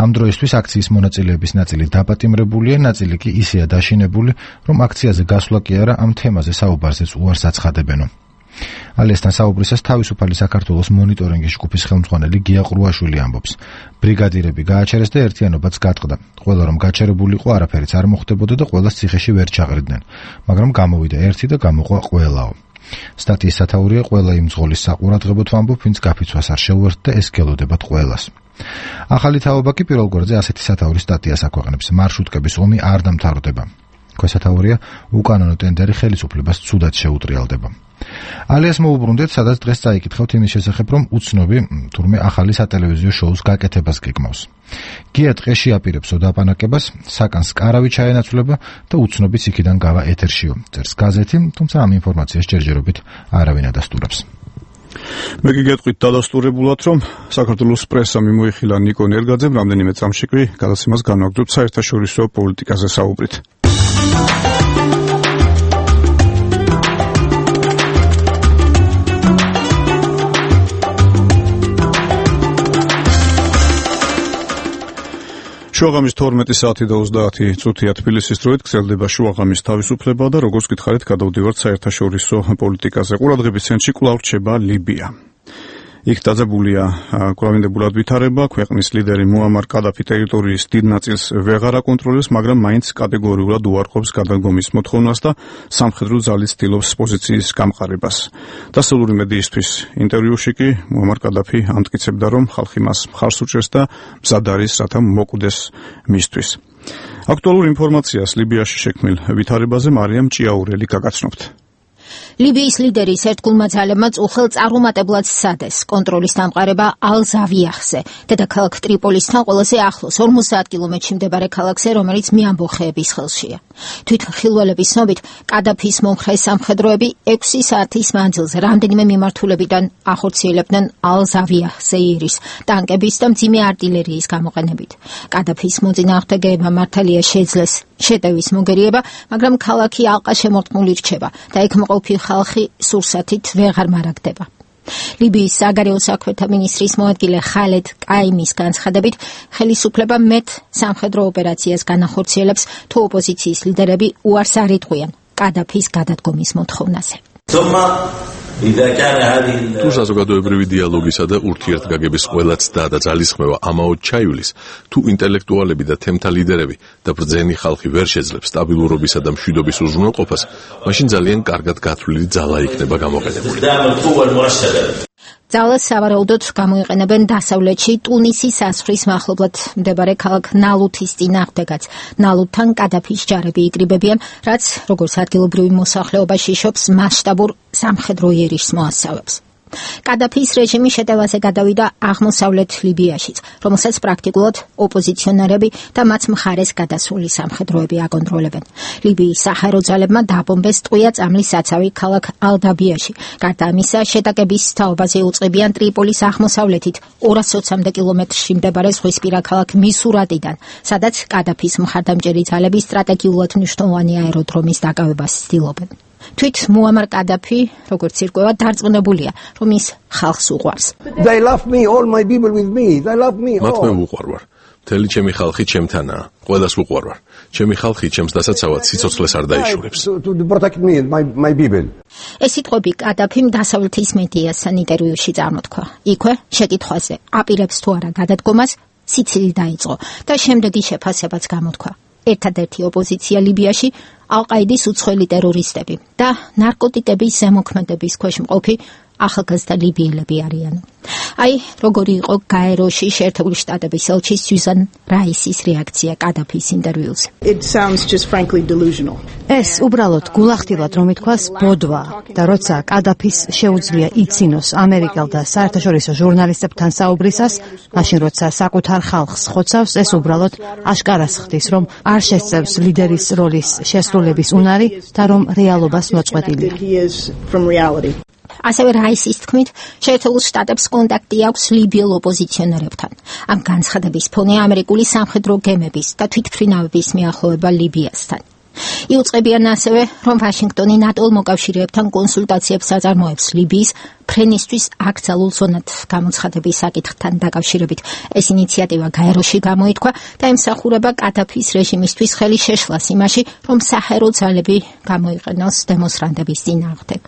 ამ დროისთვის აქციის მონაწილეების ნაწილი დაპატიმრებულია, ნაწილი კი ისეა დაშინებული, რომ აქციაზე გასვლა კი არა ამ თემაზე საუბარზეც უარს აცხადებენო. ალიასთან საუბრისას თავისუფალი საქართველოს მონიტორინგის ჯგუფის ხელმძღვანელი გია ყრუაშვილი ამბობს. ბრიგადირები გააჩერეს და ერთიანობაც გატყდა. ყველა რომ გაჩერებულიყო, არაფერიც არ მოხდებოდა და ყველას ციხეში ვერ ჩაღრიდნენ, მაგრამ გამოვიდა ერთი და გამოყვა ყველაო. სტატიის სათაურია ყველა იმ ზღოლის საყურადღებოდ ვამბობ, ვინც გაფიცვას არ შეუერთდა და ეს გელოდებათ ყველას. ახალი თაობა კი პირველ გვერდზე ასეთი სათაურის სტატიას აქვეყნებს. მარშრუტკების ომი არ დამთავრდება. ქვესათაურია უკანონო ტენდერი ხელისუფლებას ცუდად შეუტრიალდება. ალიას მოუბრუნდეთ, სადაც დღეს წაიკითხავთ იმის შესახებ, რომ უცნობი თურმე ახალი სატელევიზიო შოუს გაკეთებას გეგმავს. გია ტყეში აპირებს ოდაპანაკებას, საკანს კარავი ჩაენაცვლება და უცნობიც იქიდან გავა ეთერშიო. წერს გაზეთი, თუმცა ამ ინფორმაციას ჯერჯერობით არავინ ადასტურებს. მე გიგეთყვით დადასტურებულად, რომ საქართველოს პრესა მიმოიხილა ნიკო ნერგაძემ რამდენიმე წამში კი გადაცემას განვაგრძობთ საერთაშორისო პოლიტიკაზე საუბრით. შუაღამის თორმეტი საათი და ოცდაათი წუთია თბილისის დროით გრძელდება შუაღამის თავისუფლება და როგორც გითხარით, გადავდივართ საერთაშორისო პოლიტიკაზე. ყურადღების ცენტრში კვლავ რჩება ლიბია. იქ დაძაბულია კვლავინდებულად ვითარება, ქვეყნის ლიდერი მუამარ კადაფი ტერიტორიის დიდ ნაწილს ვეღარ აკონტროლებს, მაგრამ მაინც კატეგორიულად უარყოფს გადადგომის მოთხოვნას და სამხედრო ძალით ცდილობს პოზიციის გამყარებას. დასავლური მედიისთვის ინტერვიუში კი მუამარ კადაფი ამტკიცებდა, რომ ხალხი მას მხარს უჭერს და მზად არის, რათა მოკუდეს მისთვის. აქტუალურ ინფორმაციას ლიბიაში შექმნილ ვითარებაზე მარიამ ჭიაურელი გაგაცნობთ. ლიბიის ლიდერის ერთგულმა ძალებმა წუხელ წარუმატებლად სცადეს კონტროლის დამყარება ალ-ზავიახზე, დედაქალაქ ტრიპოლისთან ყველაზე ახლოს ორმოცდაათ კილომეტრში მდებარე ქალაქზე, რომელიც მეამბოხეების ხელშია. თვითმხილველების ცნობით, კადაფის მომხრე სამხედროები ექვსი საათის მანძილზე რამდენიმე მიმართულებიდან ახორციელებდნენ ალ-ზავიახზე იერიშს ტანკების და მძიმე არტილერიის გამოყენებით. კადაფის მოწინააღმდეგეებმა მართალია შეძლეს შეტევის მოგერიება, მაგრამ ქალაქი ალყა შემორტყმული რჩება და იქ მყოფი ხალხი სურსათით ვეღარ მარაგდება. ლიბიის საგარეო საქმეთა მინისტრის მოადგილე ხალედ კაიმის განცხადებით, ხელისუფლება მეტ სამხედრო ოპერაციას განახორციელებს, თუ ოპოზიციის ლიდერები უარს არ იტყვიან კადაფის გადადგომის მოთხოვნაზე. თუ საზოგადოებრივი დიალოგისა და ურთიერთგაგების ყველა ცდა და ძალისხმევა ამაოდ ჩაივლის, თუ ინტელექტუალები და თემთა ლიდერები და ბრძენი ხალხი ვერ შეძლებს სტაბილურობისა და მშვიდობის უზრუნველყოფას, მაშინ ძალიან კარგად გათვლილი ძალა იქნება გამოყენებული. ძალას სავარაუდოდ გამოიყენებენ დასავლეთში ტუნისის საზღვრის მახლობლად მდებარე ქალაქ ნალუთის წინააღმდეგაც. ნალუთთან კადაფის ჯარები იკრიბებიან, რაც როგორც ადგილობრივი მოსახლეობაში შობს მასშტაბურ სამხედრო იერიშს მოასწავებს. კადაფის რეჟიმი შეტევაზე გადავიდა აღმოსავლეთ ლიბიაშიც, რომელსაც პრაქტიკულად ოპოზიციონერები და მათ მხარეს გადასული სამხედროები აკონტროლებენ. ლიბიის საჰაერო ძალებმა დაბომბეს ტყვია წამლის საცავი ქალაქ ალდაბიაში. გარდა ამისა, შეტაკების თაობაზე უწყებიან ტრიპოლის აღმოსავლეთით ორას ოცამდე კილომეტრში მდებარე ზღვისპირა ქალაქ მისურატიდან, სადაც კადაფის მხარდამჭერი ძალები სტრატეგიულად მნიშვნელოვანი აეროდრომის დაკავებას ცდილობენ. თვით მუამარ კადაფი, როგორც ირკვევა, დარწმუნებულია, რომ ის ხალხს უყვარს. They love me, all my people with me. They love me. მათ მე უყვარვარ. მთელი ჩემი ხალხი ჩემთანაა. ყველას უყვარვარ. ჩემი ხალხი ჩემს დასაცავად სიცოცხლეს არ დაიშურებს. To protect me and my my people. ეს სიტყვები კადაფიმ დასავლეთის მედიასთან ინტერვიუში წარმოთქვა. იქვე შეკითხვაზე, აპირებს თუ არა გადადგომას, სიცილი დაიწყო და შემდეგი შეფასებაც გამოთქვა. ერთადერთი ოპოზიცია ლიბიაში ალ-ყაიდის უცხოელი ტერორისტები და ნარკოტიკების ზემოქმედების ქვეშ მყოფი ახალგაზრდა ლიბიელები არიან. აი, როგორი იყო გაეროში შეერთებული შტატების ელჩი სიუზან რაისის რეაქცია კადაფის ინტერვიუზე. It sounds just frankly delusional. ეს უბრალოდ გულახდილად რომ ითქვას ბოდვა და როცა კადაფის შეუძლია იცინოს ამერიკელ და საერთაშორისო ჟურნალისტებთან საუბრისას, მაშინ როცა საკუთარ ხალხს ხოცავს, ეს უბრალოდ აშკარას ხდის, რომ არ შესწევს ლიდერის როლის შესრულების უნარი და რომ რეალობას მოწყვეტილია. ასევე რაისის თქმით, შეერთებულ შტატებს კონტაქტი აქვს ლიბიელ ოპოზიციონერებთან. ამ განცხადების ფონე ამერიკული სამხედრო გემების და თვითმფრინავების მიახლოება ლიბიასთან. იუწყებიან ასევე, რომ ვაშინგტონი ნატო მოკავშირეებთან კონსულტაციებს აწარმოებს ლიბიის ფრენისთვის აკრძალულ ზონად გამოცხადების საკითხთან დაკავშირებით. ეს ინიციატივა გაეროში გამოითქვა და ემსახურება კადაფის რეჟიმისთვის ხელი შეშლას იმაში, რომ საჰაერო ძალები გამოიყენოს დემონსტრანტების წინააღმდეგ.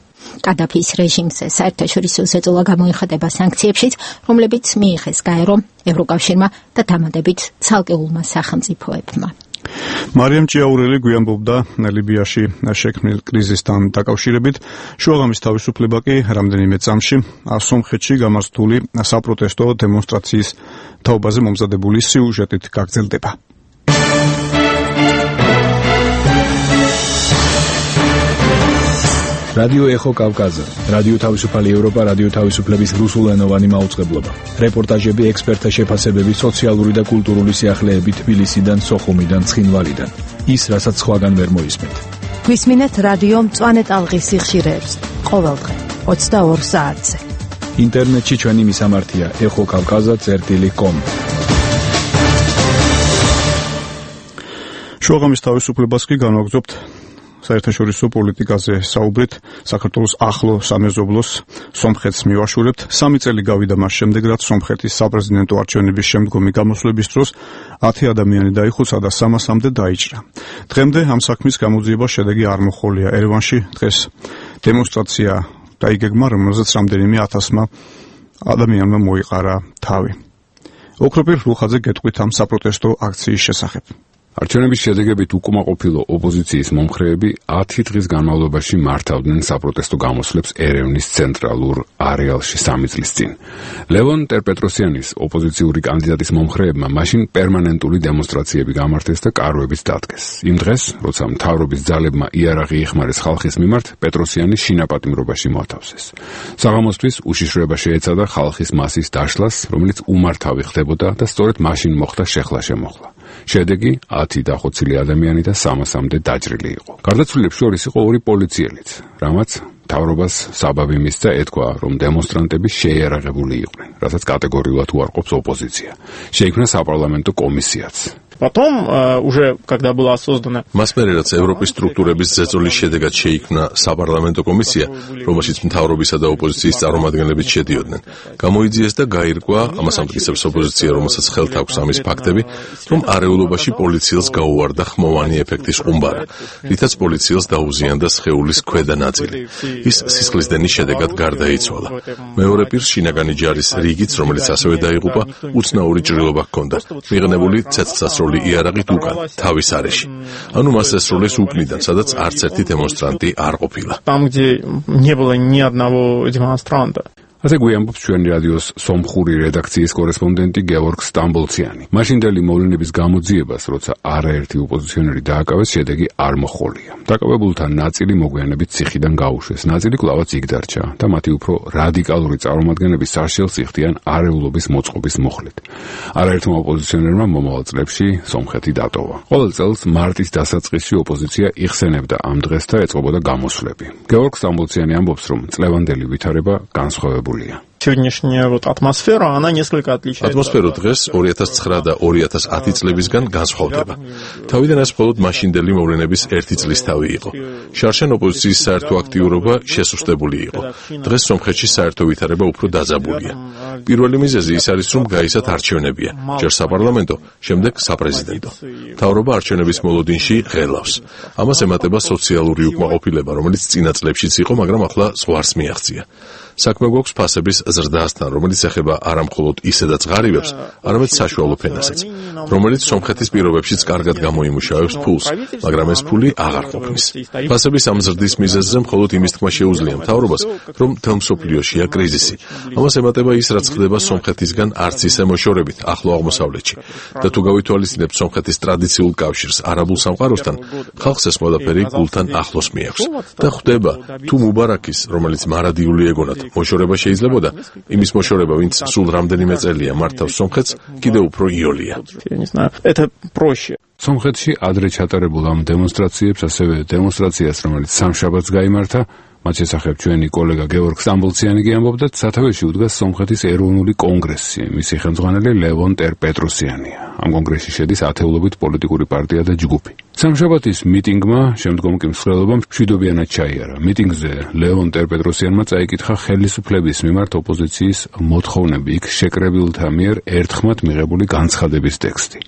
კადაფის რეჟიმზე საერთაშორისო ზეწოლა გამოიხატება სანქციებშიც, რომლებიც მიიღეს გაერო ევროკავშირმა და დამატებით ცალკეულმა სახელმწიფოებმა. მარიამ ჭიაურელი გვიანბობდა ლიბიაში შექმნილ კრიზისთან დაკავშირებით. შუაღამის თავისუფლება კი რამდენიმე წამში სომხეთში გამართული საპროტესტო დემონსტრაციის თაობაზე მომზადებული სიუჟეტით გაგრძელდება. რადიო ეხო კავკაზა, რადიო თავისუფალი ევროპა, რადიო თავისუფლების რუსულენოვანი მაუწყებლობა. რეპორტაჟები, ექსპერტთა შეფასებები, სოციალური და კულტურული სიახლეები თბილისიდან, სოხუმიდან, ცხინვალიდან. ის, რასაც სხვაგან ვერ მოისმენთ. გვისმინეთ რადიო მწვანე ტალღის სიხშირეებს ყოველდღე ოცდაორ საათზე. ინტერნეტში ჩვენი მისამართია ეხო კავკაზა წერტილი კომ. შუაღამის თავისუფლებას კი განვაგრძობთ საერთაშორისო პოლიტიკაზე საუბრით. საქართველოს ახლო სამეზობლოს სომხეთს მივაშურებთ. სამი წელი გავიდა მას შემდეგ, რაც სომხეთის საპრეზიდენტო არჩევნების შემდგომი გამოსვლების დროს ათი ადამიანი დაიხოცა და სამასამდე დაიჭრა. დღემდე ამ საქმის გამოძიება შედეგი არ მოჰყოლია. ერევანში დღეს დემონსტრაცია დაიგეგმა, რომელზეც რამდენიმე ათასმა ადამიანმა მოიყარა თავი. ოქროპირ რუხაძე გეტყვით ამ საპროტესტო აქციის შესახებ. არჩევნების შედეგებით უკმაყოფილო ოპოზიციის მომხრეები ათი დღის განმავლობაში მართავდნენ საპროტესტო გამოსვლებს ერევნის ცენტრალურ არეალში სამი წლის წინ. ლევონ ტერპეტროსიანის ოპოზიციური კანდიდატის მომხრეებმა მაშინ პერმანენტული დემონსტრაციები გამართეს და კარვებიც დადგეს. იმ დღეს, როცა მთავრობის ძალებმა იარაღი იხმარეს ხალხის მიმართ, პეტროსიანი შინაპატიმრობაში მოათავსეს. საღამოსთვის უშიშროება შეეცადა ხალხის მასის დაშლას, რომელიც უმართავი ხდებოდა და სწორედ მაშინ მოხდა შეხლა-შემოხლა. შედეგი ათი დახოცილი ადამიანი და სამასამდე დაჭრილი იყო. გარდაცვლილებს შორის იყო ორი პოლიციელიც, რამაც მთავრობას საბაბი მისცა ეთქვა, რომ დემონსტრანტები შეიარაღებული იყვნენ, რასაც კატეგორიულად უარყოფს ოპოზიცია. შეიქმნა საპარლამენტო კომისიაც. Потом, уже когда была создана მას მერე რაც ევროპის სტრუქტურების ზეწოლის შედეგად შეიქმნა საპარლამენტო კომისია, რომელშიც მთავრობისა და ოპოზიციის წარმომადგენლებიც შედიოდნენ, გამოიძიეს და გაირკვა, ამას ამტკიცებს ოპოზიცია, რომელსაც ხელთ აქვს ამის ფაქტები, რომ არეულობაში პოლიციელს გაუვარდა ხმოვანი ეფექტის ყუმბარა, რითაც პოლიციელს დაუზიანდა სხეულის ქვედა ნაწილი. ის სისხლის დენის შედეგად გარდაიცვალა. მეორე პირს შინაგანი ჯარის რიგიც, რომელიც ასევე დაიღუპა, უცნაური ჭრილობა ჰქონდა, მიღნებული ცეცხლსასროლი იარაღით უკან, თავის არეში. ანუ მას ესროლეს უკნიდან, სადაც არც ერთი დემონსტრანტი არ ყოფილა. Там, где не было ни одного демонстранта. ასე გვიამბობს ჩვენი რადიოს სომხური რედაქციის კორესპონდენტი გეორგ სტამბოლციანი. მაშინდელი მოვლენების გამოძიებას, როცა არაერთი ოპოზიციონერი დააკავეს, შედეგი არ მოჰყოლია. დაკავებულთა ნაწილი მოგვიანებით ციხიდან გაუშვეს, ნაწილი კვლავაც იქ დარჩა და მათი უფრო რადიკალური წარმომადგენლები საშელს იხდიან არეულობის მოწყობის მոխლით. არაერთმა ოპოზიციონერმა მომავალ წლებში სომხეთი დატოვა. ყოველ წელს მარტის დასაწყისში ოპოზიცია იხსენებდა ამ დღეს და ეწყობოდა გამოსვლები. გეორგ სტამბოლციანი ამბობს, რომ წლევანდელი ვითარება განსხვავებულია. Сегодняшняя вот атмосфера, она несколько отличается. Атмосфера დღეს ორი ათას ცხრა და ორი ათას ათი წლებისგან განსხვავდება. თავიდან ეს მხოლოდ მაშინდელი მოვლენების ერთი წლის თავი იყო. შარშან ოპოზიციის საერთო აქტიურობა შესუსტებული იყო. დღეს სომხეთში საერთო ვითარება უფრო დაძაბულია. პირველი მიზეზი ის არის, რომ გაისათ არჩევნებია. ჯერ საპარლამენტო, შემდეგ საპრეზიდენტო. მთავრობა არჩევნების მოლოდინში ღელავს. ამას ემატება სოციალური უკმაყოფილება, რომელიც წინა წლებშიც იყო, მაგრამ ახლა ზღვარს მიაღწია. საქმე გვაქვს ფასების ზრდასთან, რომელიც ეხება არა მხოლოდ ისედაც ღარიბებს, არამედ საშუალო ფენასაც, რომელიც სომხეთის პირობებშიც კარგად გამოიმუშავებს ფულს, მაგრამ ეს ფული აღარ ყოფნის. ფასების ამ ზრდის მიზეზზე მხოლოდ იმის თქმა შეუძლია მთავრობას, რომ მთელ მსოფლიოშია კრიზისი. ამას ემატება ის, რაც ხდება სომხეთისგან არც ისე მოშორებით ახლო აღმოსავლეთში. და თუ გავითვალისწინებთ სომხეთის ტრადიციულ კავშირს არაბულ სამყაროსთან, ხალხს ეს ყველაფერი გულთან ახლოს მიაქვს. და ხვდება, თუ მუბარაკის, რომელიც მარადიული ეგონათ მოშორება შეიძლებოდა, იმის მოშორება, ვინც სულ რამდენიმე წელია მართავს სომხეთს, კიდევ უფრო იოლია. სომხეთში ადრე ჩატარებულ ამ დემონსტრაციებს, ასევე დემონსტრაციას, რომელიც სამშაბათს გაიმართა, მათ შესახებ ჩვენი კოლეგა გეორგ სტამბოლციანი ამბობდა, სათავეში უდგას სომხეთის ეროვნული კონგრესი, მისი ხელმძღვანელი ლევონ ტერპეტროსიანია. ამ კონგრესში შედის ათეულობით პოლიტიკური პარტია და ჯგუფი. სამშაბათის მიტინგმა შემდგომ კი მსვლელობამ მშვიდობიანად ჩაიარა. მიტინგზე ლევონ ტერპეტროსიანმა წაიკითხა ხელისუფლების მიმართ ოპოზიციის მოთხოვნები, იქ შეკრებილთა მიერ ერთხმად მიღებული განცხადების ტექსტი.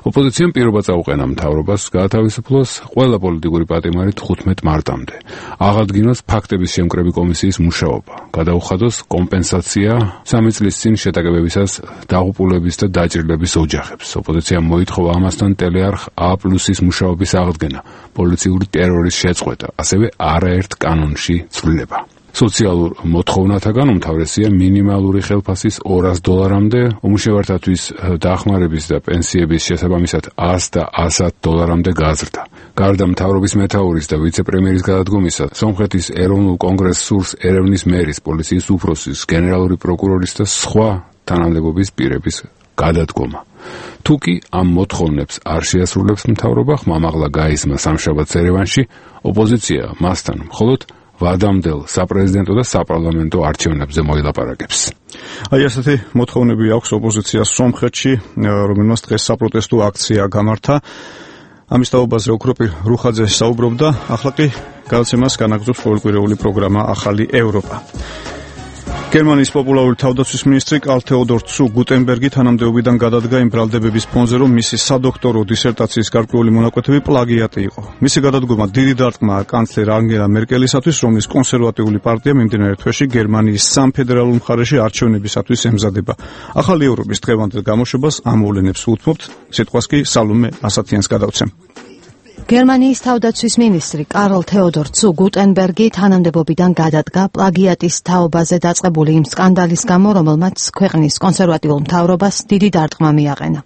ოპოზიციამ პირობა წაუყენა მთავრობას გაათავისუფლოს ყველა პოლიტიკური პატიმარი თხუთმეტ მარტამდე. აღადგინოს ფაქტ ფაქტების შემკრები კომისიის მუშაობა. გადაუხადოს კომპენსაცია სამი წლის წინ შეტაკებებისას დაღუპულების და დაჭრილების ოჯახებს. ოპოზიციამ მოითხოვა ამასთან ტელეარხ A პლუსის მუშაობის აღდგენა, პოლიციური ტერორის შეწყვეტა, ასევე არაერთ კანონში ცვლილება. სოციალურ მოთხოვნათაგან უმთავრესია მინიმალური ხელფასის ორას დოლარამდე, უმუშევართათვის დახმარების და პენსიების შესაბამისად ას და ასად დოლარამდე გაზრდა. გარდა მთავრობის მეთაურის და ვიცე-პრემიერის გადადგომისა, სომხეთის ეროვნულ კონგრესს სურს ერევნის მერის, პოლიციის უფროსის, გენერალური პროკურორის და სხვა თანამდებობის პირების გადადგომა. თუკი ამ მოთხოვნებს არ შეასრულებს მთავრობა, ხმამაღლა გაისმა სამშაბათს ერევანში, ოპოზიცია მასთან მხოლოდ ვადამდელ საპრეზიდენტო და საპარლამენტო არჩევნებზე მოილაპარაკებს. აი ასეთი მოთხოვნები აქვს ოპოზიციას სომხეთში, რომელმაც დღეს საპროტესტო აქცია გამართა. ამის თაობაზე ოქროპირ რუხაძე საუბრობდა, ახლა კი გადაცემას განაგრძობს ყოველკვირეული პროგრამა ახალი ევროპა. გერმანიის პოპულარული თავდაცვის მინისტრი კარლ თეოდორ ცუ გუტენბერგი თანამდებობიდან გადადგა იმ ბრალდებების ფონზე, რომ მისი სადოქტორო დისერტაციის გარკვეული მონაკვეთები პლაგიატი იყო. მისი გადადგომა დიდი დარტყმაა კანცლერ ანგელა მერკელისათვის, რომლის კონსერვატიული პარტია მიმდინარე თვეში გერმანიის სამ ფედერალურ მხარეში არჩევნებისათვის ემზადება. ახალი ევროპის დღევანდელ გამოშვებას ამ მოვლენებს უთმობთ, სიტყვას კი სალომე ასათიანს გადავცემ. გერმანიის თავდაცვის მინისტრი კარლ თეოდორ ცუ გუტენბერგი თანამდებობიდან გადადგა პლაგიატის თაობაზე დაწყებული იმ სკანდალის გამო, რომელმაც ქვეყნის კონსერვატიულ მთავრობას დიდი დარტყმა მიაყენა.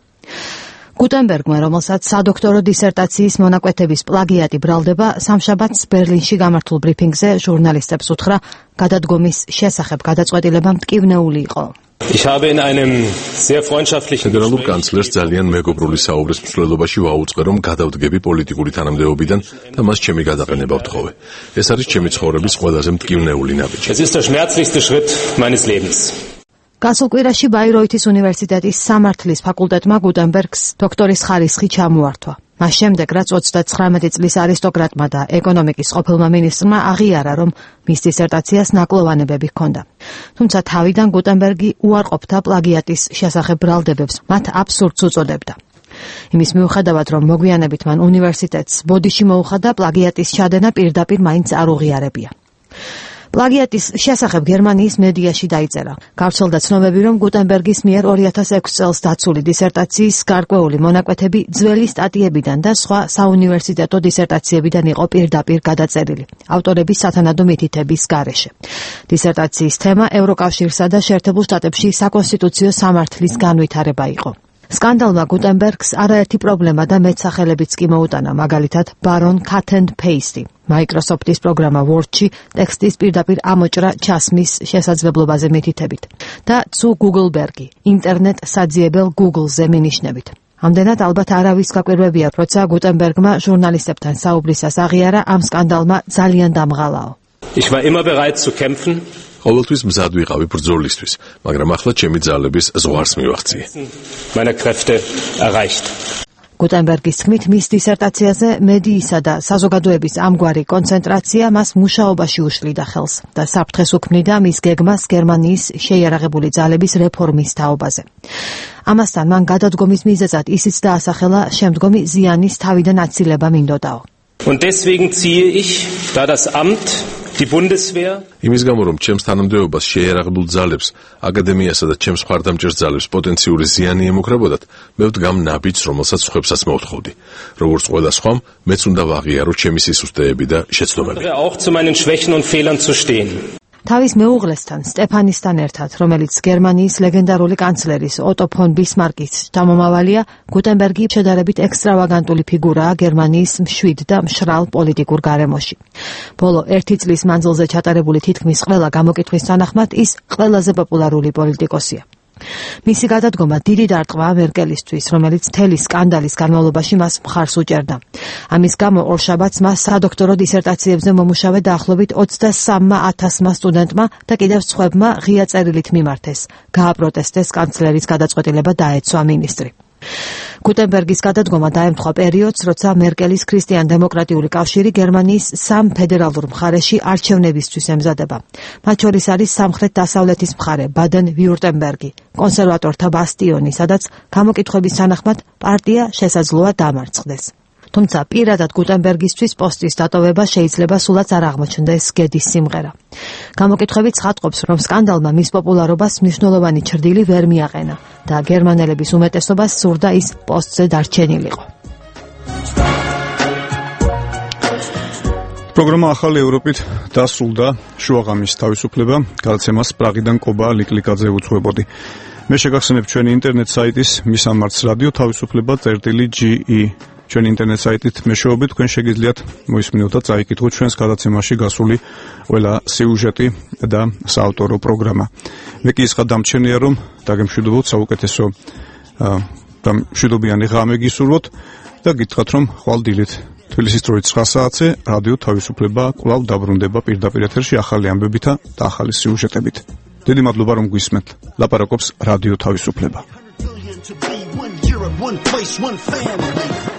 გუტენბერგმა, რომელსაც სადოქტორო დისერტაციის მონაკვეთების პლაგიატი ბრალდება, სამშაბათს ბერლინში გამართულ ბრიფინგზე ჟურნალისტებს უთხრა, გადადგომის შესახებ გადაწყვეტილება მტკივნეული იყო. Ich habe in einem sehr freundschaftlichen ფედერალურ კანცლერს ძალიან მეგობრული საუბრის მსვლელობაში ვაუწყე, რომ გადავდგები პოლიტიკური თანამდებობიდან და მას ჩემი გადაყენება ვთხოვე. ეს არის ჩემი ცხოვრების ყველაზე მტკივნეული ნაბიჯი. Es ist der schmerzlichste Schritt meines Lebens. გასულ კვირაში ბაიროითის უნივერსიტეტის სამართლის ფაკულტეტმა გუტენბერგს დოქტორის ხარისხი ჩამოართვა. მას შემდეგ, რაც ოცდაცხრამეტი წლის არისტოკრატმა და ეკონომიკის ყოფილმა მინისტრმა აღიარა, რომ მის დისერტაციას ნაკლოვანებები ჰქონდა. თუმცა თავიდან გუტენბერგი უარყოფდა პლაგიატის შესახებ ბრალდებებს, მათ აბსურდს უწოდებდა. იმის მიუხედავად, რომ მოგვიანებით მან უნივერსიტეტს ბოდიში მოუხადა, პლაგიატის ჩადენა პირდაპირ მაინც არ უღიარებია. პლაგიატის შესახებ გერმანიის მედიაში დაიწერა. გავრცელდა ცნობები, რომ გუტენბერგის მიერ ორი ათას ექვსი წელს დაცული დისერტაციის გარკვეული მონაკვეთები ძველი სტატიებიდან და სხვა საუნივერსიტეტო დისერტაციებიდან იყო პირდაპირ გადაწერილი, ავტორების სათანადო მითითების გარეშე. დისერტაციის თემა ევროკავშირსა და შეერთებულ შტატებში საკონსტიტუციო სამართლის განვითარება იყო. სკანდალმა გუტენბერგს არაერთი პრობლემა და მეტსახელებიც კი მოუტანა, მაგალითად ბარონ cut and paste. Microsoft-ის პროგრამა Word-ში ტექსტის პირდაპირ ამოჭრა ჩასმის შესაძლებლობაზე მითითებით და ცუ გუგლბერგი, ინტერნეტ საძიებელ Google-ზე მინიშნებით. ამდენად ალბათ არავის გაკვირვებია, როცა გუტენბერგმა ჟურნალისტებთან საუბრისას აღიარა, ამ სკანდალმა ძალიან დამღალაო. Ich war immer bereit zu kämpfen. ყოველთვის მზად ვიყავი ბრძოლისთვის, მაგრამ ახლა ჩემი ძალების ზღვარს მივახციე. Meine Kräfte erreicht. გუტენბერგის თქმით, მის დისერტაციაზე მედიისა და საზოგადოების ამგვარი კონცენტრაცია მას მუშაობაში უშლიდა ხელს და საფრთხეს უქმნიდა მის გეგმას გერმანიის შეიარაღებული ძალების რეფორმის თაობაზე. ამასთან მან გადადგომის მიზეზად ისიც დაასახელა, შემდგომი ზიანის თავიდან აცილება მინდოდაო. Und deswegen ziehe ich, da das Amt Die Bundeswehr იმის გამო, რომ ჩემს თანამდებობას შეიარაღებულ ძალებს, აკადემიასა და ჩემს მხარდამჭერ ძალებს პოტენციური ზიანი ემუქრებოდათ, მე ვდგამ ნაბიჯს, რომელსაც სხვებსაც მოვთხოვდი. როგორც ყველა სხვამ, მეც უნდა ვაღიარო ჩემი სისუსტეები და შეცდომები. auch zu meinen Schwächen und Fehlern zu stehen. თავის მეუღლესთან, სტეფანისთან ერთად, რომელიც გერმანიის ლეგენდარული კანცლერის ოტო ფონ ბისმარკის შთამომავალია, გუტენბერგი შედარებით ექსტრავაგანტული ფიგურაა გერმანიის მშვიდ და მშრალ პოლიტიკურ გარემოში. ბოლო ერთი წლის მანძილზე ჩატარებული თითქმის ყველა გამოკითხვის თანახმად ის ყველაზე პოპულარული პოლიტიკოსია. მისი გადადგომა დიდი დარტყმაა მერკელისთვის, რომელიც მთელი სკანდალის განმავლობაში მას მხარს უჭერდა. ამის გამო ორშაბათს მას სადოქტორო დისერტაციებზე მომუშავე დაახლოებით ოცდასამ ათასმა სტუდენტმა და კიდევ სხვებმა ღია წერილით მიმართეს. გააპროტესტეს კანცლერის გადაწყვეტილება დაეცვა მინისტრი. გუტენბერგის გადადგომა დაემთხვა პერიოდს, როცა მერკელის ქრისტიან-დემოკრატიული კავშირი გერმანიის სამ ფედერალურ მხარეში არჩევნებისთვის ემზადება. მათ შორის არის სამხრეთ-დასავლეთის მხარე, ბადენ-ვიურტემბერგი, კონსერვატორთა ბასტიონი, სადაც გამოკითხვების თანახმად პარტია შესაძლოა დამარცხდეს. თუმცა პირადად გუტენბერგისთვის პოსტის დატოვება შეიძლება სულაც არ აღმოჩნდეს გედის სიმღერა. გამოკითხვები ცხადყოფს, რომ სკანდალმა მის პოპულარობას მნიშვნელოვანი ჩრდილი ვერ მიაყენა და გერმანელების უმეტესობას სურდა ის პოსტზე დარჩენილიყო. პროგრამა ახალი ევროპით დასრულდა. შუაღამის თავისუფლება გადაცემას პრაღიდან კობა ლიკლიკაძე უძღვებოდი. მე შეგახსენებ ჩვენი ინტერნეტ საიტის მისამართს რადიო თავისუფლება წერტილი ჯი ი. ჩვენი ინტერნეტ საიტით მეშვეობით თქვენ შეგიძლიათ მოისმინოთ და წაიკითხოთ ჩვენს გადაცემაში გასული ყველა სიუჟეტი და საავტორო პროგრამა. მე კი ისხა დამჩენია, რომ დაგემშვიდობოთ საუკეთესო და მშვიდობიანი ღამე გისურვოთ და გითხრათ, რომ ხვალ დილით თბილისის დროით ცხრა საათზე რადიო თავისუფლება კვლავ დაბრუნდება პირდაპირ ეთერში ახალი ამბებითა და ახალი სიუჟეტებით. დიდი მადლობა რომ გვისმენთ. ლაპარაკობს რადიო თავისუფლება. One place, one family.